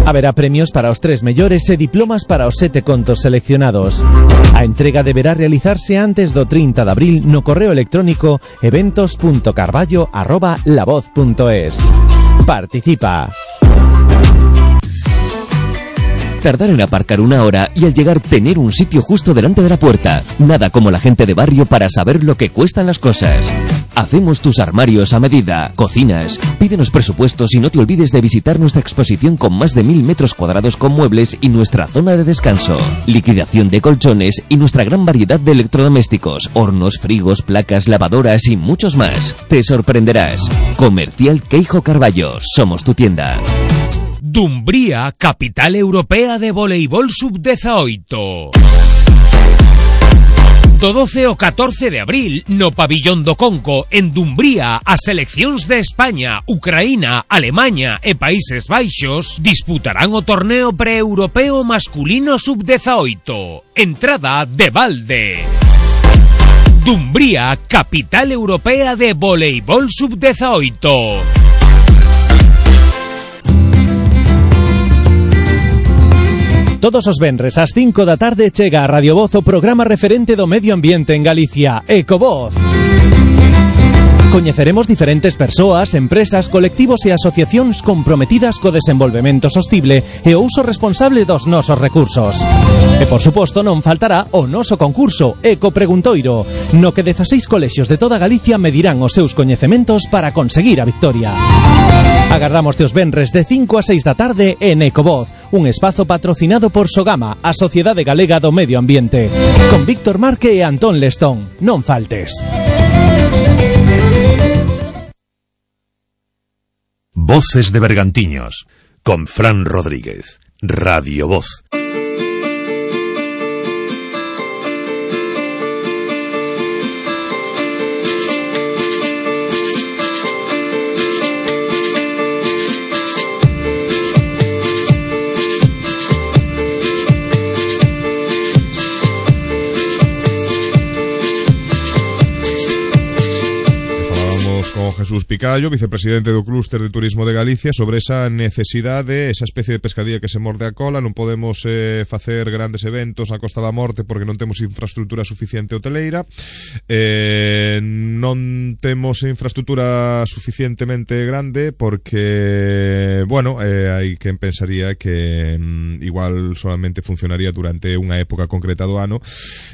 Haberá premios para os tres mellores e diplomas para os sete contos seleccionados. A entrega deberá realizarse antes do trinta de abril no correo electrónico eventos punto carballo arroba lavoz punto es. Participa. Tardar en aparcar una hora y al llegar tener un sitio justo delante de la puerta. Nada como la gente de barrio para saber lo que cuestan las cosas. Hacemos tus armarios a medida, cocinas. Pídenos presupuestos y no te olvides de visitar nuestra exposición con más de mil metros cuadrados con muebles y nuestra zona de descanso. Liquidación de colchones y nuestra gran variedad de electrodomésticos, hornos, frigos, placas, lavadoras y muchos más. Te sorprenderás. Comercial Queijo Carballo. Somos tu tienda. Dumbría, capital europea de voleibol sub dezaoito. Do doce ao catorce de abril, no Pabillón do Conco, en Dumbría, as seleccións de España, Ucraína, Alemaña e Países Baixos disputarán o torneo pre-europeo masculino sub dezaoito. Entrada de balde. Dumbría, capital europea de voleibol sub dezaoito. Todos os venres ás cinco da tarde chega a Radio Voz o programa referente do medio ambiente en Galicia, Ecovoz. Coñeceremos diferentes persoas, empresas, colectivos e asociacións comprometidas co desenvolvemento sostible e o uso responsable dos nosos recursos. E, por suposto, non faltará o noso concurso Eco Preguntoiro, no que dezaseis colexios de toda Galicia medirán os seus coñecementos para conseguir a victoria. Agardámoste os venres de cinco a seis da tarde en Ecovoz, un espazo patrocinado por Sogama, a Sociedade Galega do Medio Ambiente, con Víctor Marque e Antón Lestón. Non faltes. Voces de Bergantiños, con Fran Rodríguez, Radio Voz. Jesús Picallo, vicepresidente do Clúster de Turismo de Galicia, sobre esa necesidade, esa especie de pescadilla que se morde a cola. Non podemos eh, facer grandes eventos na Costa da Morte porque non temos infraestructura suficiente hoteleira, eh, non temos infraestructura suficientemente grande porque, bueno, eh, hai quen pensaría que mm, igual solamente funcionaría durante unha época concreta do ano.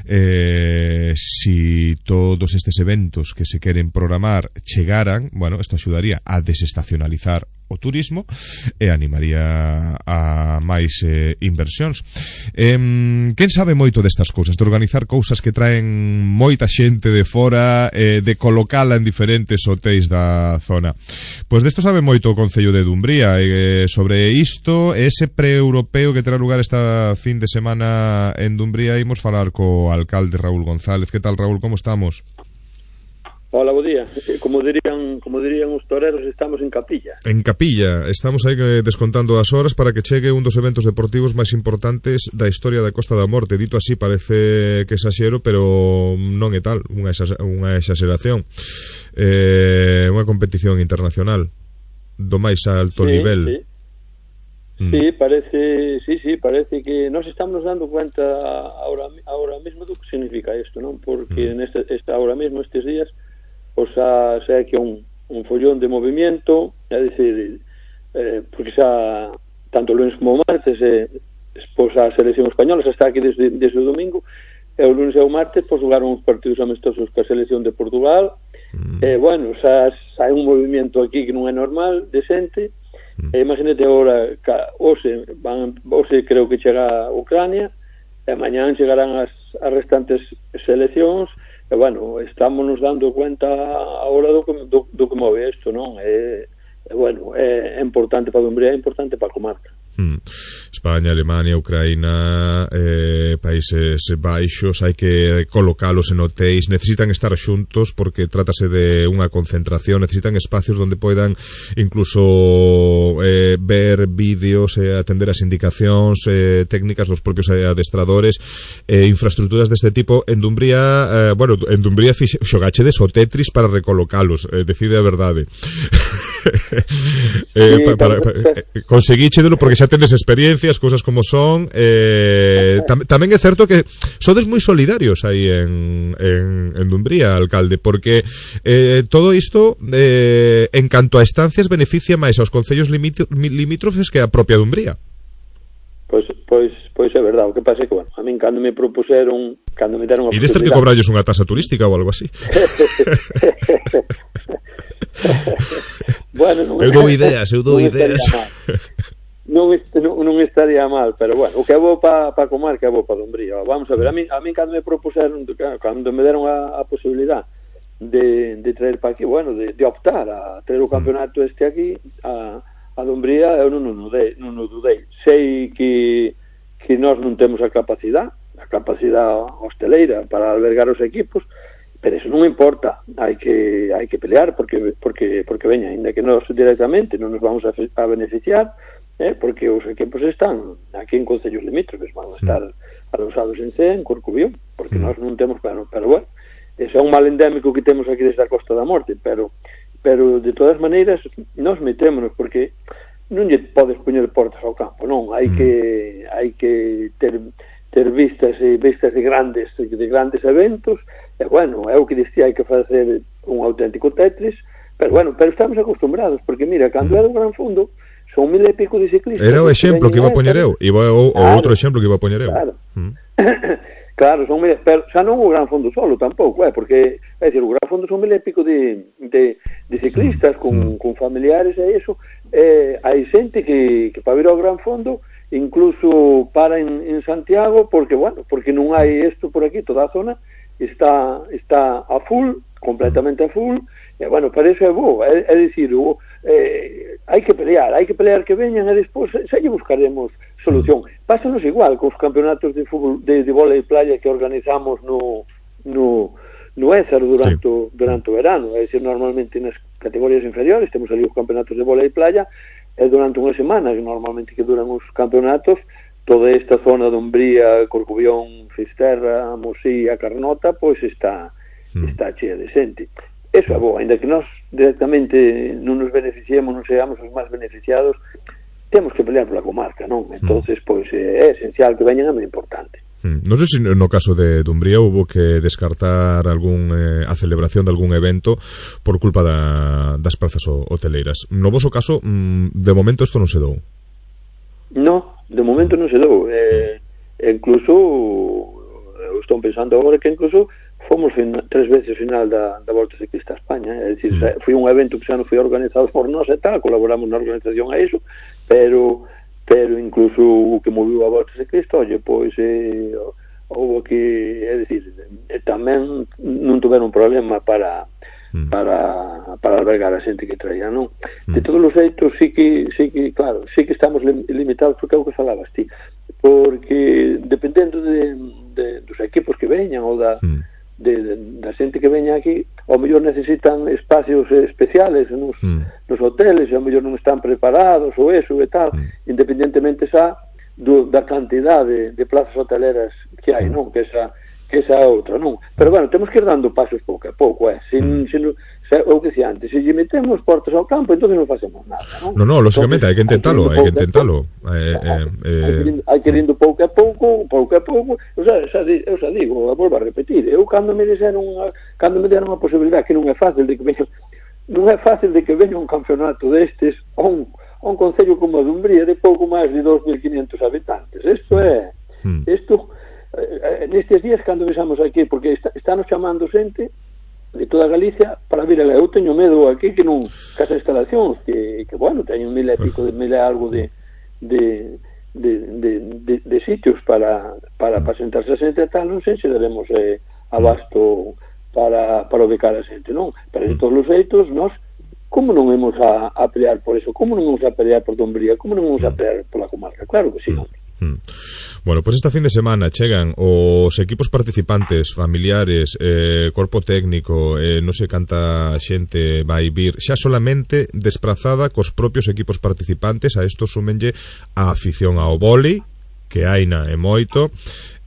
Eh, si todos estes eventos que se queren programar chegaran, bueno, isto axudaría a desestacionalizar o turismo e animaría a máis eh, inversións. Eh, quen sabe moito destas cousas, de organizar cousas que traen moita xente de fora, eh, de colocala en diferentes hotéis da zona? Pois desto sabe moito o Concello de Dumbría. Eh, sobre isto, ese pre-europeo que terá lugar esta fin de semana en Dumbría, imos falar co alcalde Raúl González. Que tal, Raúl, como estamos? Hola, bo día. Como dirían, como dirían os toreros, estamos en capilla. En capilla, estamos aí descontando as horas para que chegue un dos eventos deportivos máis importantes da historia da Costa da Morte. Dito así parece que exaxero, pero non é tal, unha, exas, unha exaxeración. Eh, unha competición internacional do máis alto sí, nivel. Sí. Mm. Sí, parece, sí, sí, parece que nos estamos dando cuenta ahora, ahora mismo do que significa isto, non? Porque mm. neste, esta, ahora mismo, estes días, o sea, sea que un, un follón de movimiento, é dicir, eh, porque xa tanto o lunes como o martes eh, pois a selección española xa está aquí desde, desde o domingo, e o lunes e o martes pois xogaron uns partidos amistosos ca selección de Portugal. Mm. E bueno, xa hai un movimento aquí que non é normal, decente. Mm. E imagínate agora, hoxe van, hoxe creo que chega a Ucrania, e mañán chegarán as, as restantes seleccións. E bueno, estamos nos dando cuenta agora do que, do, do que move isto, non? É, é bueno, é importante para Dumbría, é importante para a comarca. Hmm. España, Alemania, Ucraína, eh, Países Baixos, hai que colocalos en hotéis, necesitan estar xuntos porque trátase de unha concentración, necesitan espacios donde poidan incluso eh, ver vídeos, eh, atender as indicacións eh, técnicas dos propios adestradores, eh, infraestructuras deste tipo. En Dumbría, eh, bueno, en Dumbría xogachedes o Tetris para recolocalos, eh, decide a verdade. eh, sí, pa, para, pa, eh, conseguíchedelo porque xa tendes experiencias, cousas como son. eh, tam, tamén é certo que sodes moi solidarios aí en, en, en Dumbría, alcalde, porque eh, todo isto eh, en canto a estancias beneficia máis aos concellos limítrofes que a propia Dumbría. Pois, pois, pois é verdade. O que pasa é que, bueno, a min cando me propuseron, cando me deron a e destes que cobralles unha tasa turística ou algo así. Bueno, non, eu dou ideas, eu dou non ideas. Non, non, non estaría mal, pero bueno, o que é bo para pa comarca é bo para Dumbría. Vamos a ver, a mí, a mí cando me propuseron, cando me deron a, a posibilidad de, de traer para aquí, bueno, de, de optar a traer o campeonato este aquí a, a Dumbría, eu non, non, dudei, non dudei. Sei que, que nós non temos a capacidade, a capacidade hosteleira para albergar os equipos, pero eso non importa, hai que hai que pelear porque porque porque veña, ainda que nós directamente non nos vamos a, a beneficiar, eh, porque os equipos están aquí en concellos limítrofes, van a estar alosados en Cee, en Corcubión, porque mm. nós non temos plano, pero bueno, ese é un mal endémico que temos aquí desde a Costa da Morte, pero pero de todas maneiras nós metémonos porque non lle podes poñer portas ao campo, non, hai mm. que hai que ter ter vistas e vistas de grandes de grandes eventos. E bueno, é o que dicía, hai que facer un auténtico Tetris, pero bueno, pero estamos acostumbrados, porque mira, cando é do Gran Fondo son mil e pico de ciclistas. Era o exemplo que iba a poñer eu, iba o, o claro, outro exemplo que iba a poñer eu. Claro, mm. claro, son mil, pero xa non o Gran Fondo solo tampouco, é, porque é dicir, o Gran Fondo son mil e pico de, de, de ciclistas con, mm. con familiares e iso, eh, hai xente que, que para vir ao Gran Fondo incluso para en, en Santiago, porque bueno, porque non hai isto por aquí, toda a zona está está a full, completamente a full, e bueno, para eso é bo, é, é dicir, o, eh, hai que pelear, hai que pelear que veñan e despois xa lle buscaremos solución. Pásanos igual cos campeonatos de fútbol de, de vólei playa que organizamos no no no Ézaro durante, sí. durante o verano, é dicir, normalmente nas categorías inferiores temos ali os campeonatos de vólei playa, e durante unha semana, que normalmente que duran os campeonatos, toda esta zona de Umbría, Corcubión, Fisterra, Mosía, Carnota, pois está mm. está chea de xente. Eso é bo, ainda que nós directamente non nos beneficiemos, non seamos os máis beneficiados, temos que pelear pola comarca, non? Entonces, pois é esencial que veñan, é moi importante. Non sei se no caso de Dumbría hubo que descartar algún eh, a celebración de algún evento por culpa da, das prazas hoteleiras. No voso caso, mm, de momento isto non se dou. No, de momento non se dou. Eh, incluso eu estou pensando agora que incluso fomos fin, tres veces final da, da Volta Ciclista a España, é dicir, mm. foi un evento que xa non foi organizado por nós e tal, colaboramos na organización a iso, pero pero incluso o que moviu a Volta Ciclista, oye, pois eh, houve que, é dicir, eh, tamén non tuveron problema para mm. para para albergar a xente que traía, non? Mm. De todos os xeitos, sí que, sí que, claro, sí que estamos limitados, porque é o que falabas ti, porque dependendo de, de dos equipos que veñan ou da mm. de, de, da xente que veña aquí, ao mellor necesitan espacios especiales nos, mm. nos hoteles, e ao mellor non están preparados ou eso e tal, mm. independentemente xa do, da cantidad de, de plazas hoteleras que hai, non? Que esa que esa outra, non? Pero bueno, temos que ir dando pasos pouco a pouco, eh? Sin, sin, xa, o que dicía antes, se lle metemos portas ao campo, entón non facemos nada, non? No, no, lógicamente, hai que intentalo, hai que intentalo. Eh, eh, eh... Hai que ir indo pouco a pouco, pouco a pouco, eu xa, xa, eu xa digo, volvo a repetir, eu cando me dixeron, cando me deron a posibilidade, que non é fácil, de que veñan non é fácil de que veña un campeonato destes a un, a un concello como a Dumbría de pouco máis de dos mil quinhentos habitantes. Isto é isto eh, nestes días cando visamos aquí, porque está, están chamando xente de toda Galicia para vir a eu teño medo aquí que non casa instalacións que, que bueno, teñen mil e pico de mil e algo de de, de, de, de, de sitios para, para, para sentarse a xente e tal, non sei se daremos eh, abasto para, para ubicar a xente, non? Pero de todos os feitos, nós como non vamos a, a pelear por eso? Como non vamos a pelear por Dumbría? Como non vamos a pelear pola comarca? Claro que sí, non? Mm. Bueno, pois pues esta fin de semana chegan os equipos participantes, familiares, eh, corpo técnico, eh, non sei canta xente vai vir, xa solamente desprazada cos propios equipos participantes. A isto súmenlle a afición ao vólei, que haina é moito,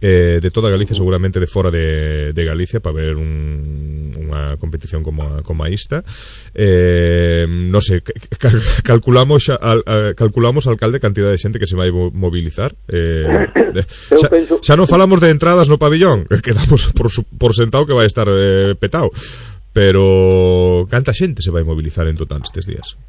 eh, de toda Galicia, seguramente de fora de, de Galicia, para ver un, unha competición como a, como a esta. Eh, non sei, cal, calculamos xa, al, a, calculamos alcalde cantidad de xente que se vai mobilizar. Eh, de, xa, xa non falamos de entradas no pabillón, que damos por, por sentado que vai estar eh, petado. Pero canta xente se vai mobilizar en total estes días?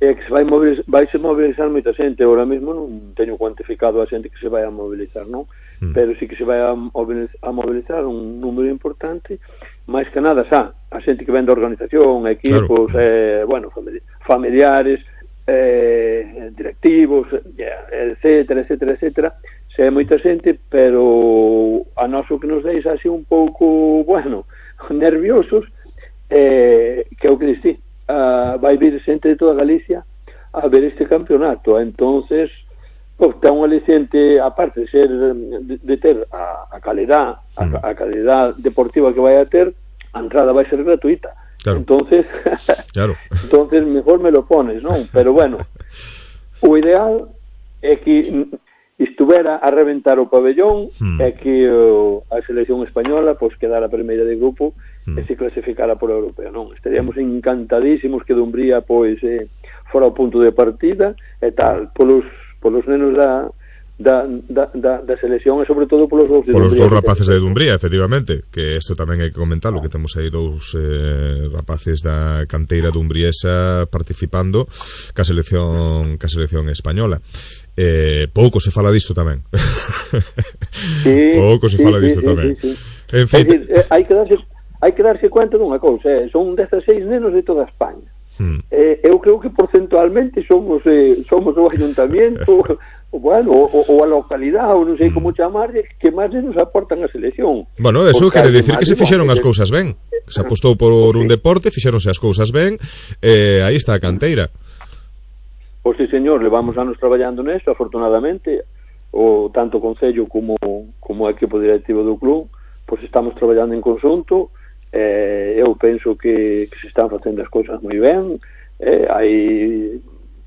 É que se vai mobilizar, vai se mobilizar moita xente. Ahora mesmo non teño cuantificado a xente que se vai a mobilizar, non? Mm. Pero sí que se vai a mobilizar, a mobilizar un número importante, máis que nada xa, a xente que ven da organización, equipos, claro. eh, bueno, familiares, eh, directivos, etcétera, etcétera, etcétera. Se é moita xente, pero a noso que nos deixa así un pouco, bueno, nerviosos, eh, que é o que dixi. Uh, vai vir xente de toda Galicia a ver este campeonato. Entonces, pues, ten un aliciente, aparte de ser de, de ter a, a calidad a, a calidad deportiva que vai a ter, a entrada vai ser gratuita. Claro. Entonces, claro. Entonces mejor me lo pones, non? Pero bueno, o ideal é que estuvera a reventar o pabellón, mm. é que uh, a selección española pois pues, quedara a primeira de grupo e se clasificara por europeo, non? Estaríamos encantadísimos que Dumbría pois eh, fora o punto de partida e tal, polos, polos nenos da, da, da, da, da selección e sobre todo polos dous de polos Dumbría. Polos dous rapaces de Dumbría, efectivamente, que isto tamén hai que comentarlo, que temos aí dous eh, rapaces da canteira dumbriesa participando ca selección, ca selección española. Eh, pouco se fala disto tamén. Sí, pouco se sí, fala sí, disto sí, tamén. Sí, sí. En fin, é dicir, eh, hai que darse hai que darse cuenta dunha cousa, eh? Son dezaseis nenos de toda España. Hmm. Eh, eu creo que porcentualmente somos eh, somos o ayuntamiento, o, bueno, o, o a localidade, ou non sei como chamarlle, que máis nenos aportan a selección. Bueno, eso quere dicir que se fixeron as cousas ben. Se apostou por un deporte, fixeronse as cousas ben, eh, aí está a canteira. Pois sí, señor, levamos anos traballando nesto, afortunadamente, o tanto o Concello como, como o equipo directivo do club, pois estamos traballando en conxunto. Eh, eu penso que, que se están facendo as cousas moi ben, eh, hai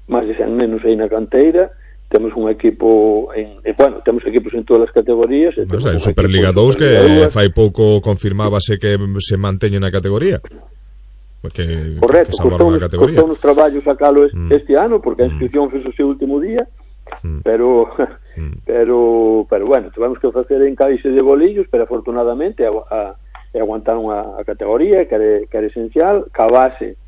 máis de cen nenos aí na canteira, temos un equipo en, eh, bueno, temos equipos en todas as categorías. Mas hai Superliga dous que fai pouco confirmábase que se manteñe na categoría. Que, correcto, que costou nos traballos sacalo este, mm. este ano, porque a inscripción mm. fez o seu último día, mm. pero mm. pero pero bueno, tivemos que facer encaixe de bolillos, pero afortunadamente a, a e aguantaron a, a categoría, que era, que era esencial, ca base,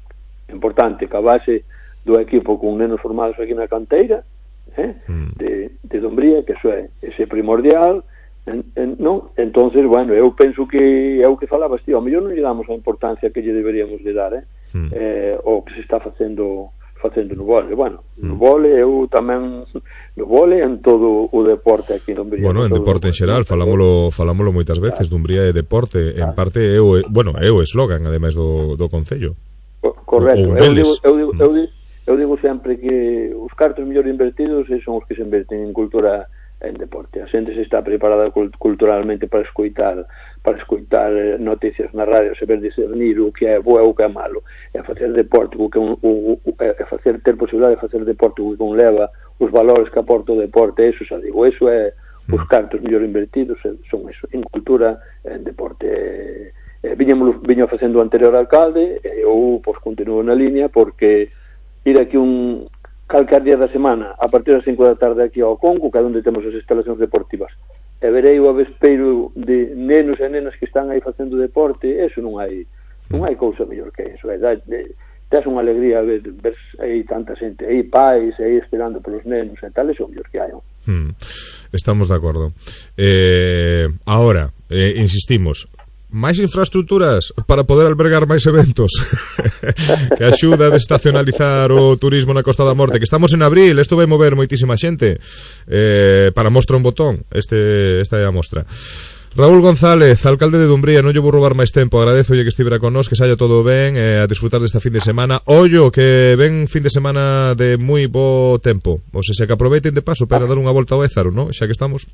importante, ca base do equipo con nenos formados aquí na canteira, eh, mm. de, de Dumbría, que eso é, ese primordial, en, en, non? Entonces, bueno, eu penso que é o que falabas, tío, a mellor non lle damos a importancia que lle deberíamos de dar, eh, mm. eh o que se está facendo facendo no vole. Bueno, no vole eu tamén no vole en todo o deporte aquí en Dumbría. Bueno, en deporte en xeral, falámolo, falámolo moitas veces, claro. Dumbría é deporte, claro. En parte é o, bueno, é o eslogan ademais do, do Concello. Correcto, eu digo, eu, digo, eu, digo, eu digo sempre que os cartos mellor invertidos son os que se inverten en cultura en deporte. A xente se está preparada culturalmente para escoitar para escoitar noticias na radio, saber discernir o que é bo e o que é malo, é facer deporte, o que un, o, o, é facer ter posibilidade de facer deporte o que conleva os valores que aporta o deporte, eso xa digo, eso é os cartos mellor invertidos son eso, en cultura, en deporte. Eh, viñamos, viño facendo o anterior alcalde e eu pois continuo na línea porque ir aquí un calcar día da semana a partir das cinco da tarde aquí ao Conco, que é onde temos as instalacións deportivas, e verei o avespeiro de nenos e nenas que están aí facendo deporte, eso non hai non hai cousa mellor que eso, é, de, tes unha alegría ver, ver aí tanta xente, aí pais, aí esperando pelos nenos e tal, son os que hai. Hmm. Estamos de acordo. Eh, ahora, eh, insistimos, máis infraestructuras para poder albergar máis eventos que axuda a desestacionalizar o turismo na Costa da Morte, que estamos en abril, isto vai mover moitísima xente, eh, para mostra un botón, este, esta é a mostra. Raúl González, alcalde de Dumbría, non lle vou roubar máis tempo, agradezolle que estivera con nós, que saia todo ben, eh, a disfrutar desta fin de semana. Ollo, que ven fin de semana de moi bo tempo, ou se, se que aproveiten de paso para dar unha volta ao Ézaro, non? Xa que estamos.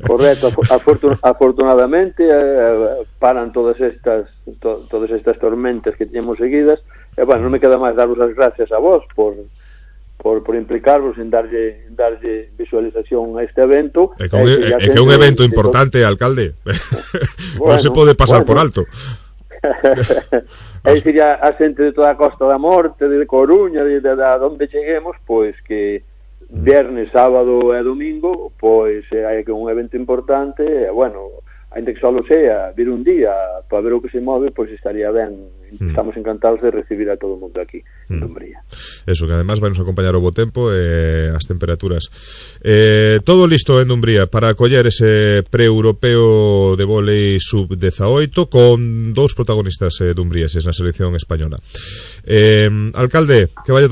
Correcto, afortun afortunadamente eh, paran todas estas to todas estas tormentas que teñemos seguidas, e bueno, non me queda máis daros as gracias a vos por por, por implicarvos en darlle, en darlle visualización a este evento. É que un, é, é que un evento importante, alcalde. Bueno, non se pode pasar bueno. por alto. É dicir, a, a xente de toda a Costa da Morte, de Coruña, de, de, de, de onde cheguemos, pois que viernes, sábado e domingo, pois hai que un evento importante, e bueno, ainda que só sea vir un día para ver o que se move, pois estaría ben. Estamos encantados de recibir a todo o mundo aquí en Dumbría. Eso, que además vai nos acompañar o bo tempo e eh, as temperaturas. Eh, todo listo en Dumbría para acoller ese pre-europeo de vólei sub dezaoito con dous protagonistas eh, dumbrieses na selección española. Eh, alcalde, que vaya todo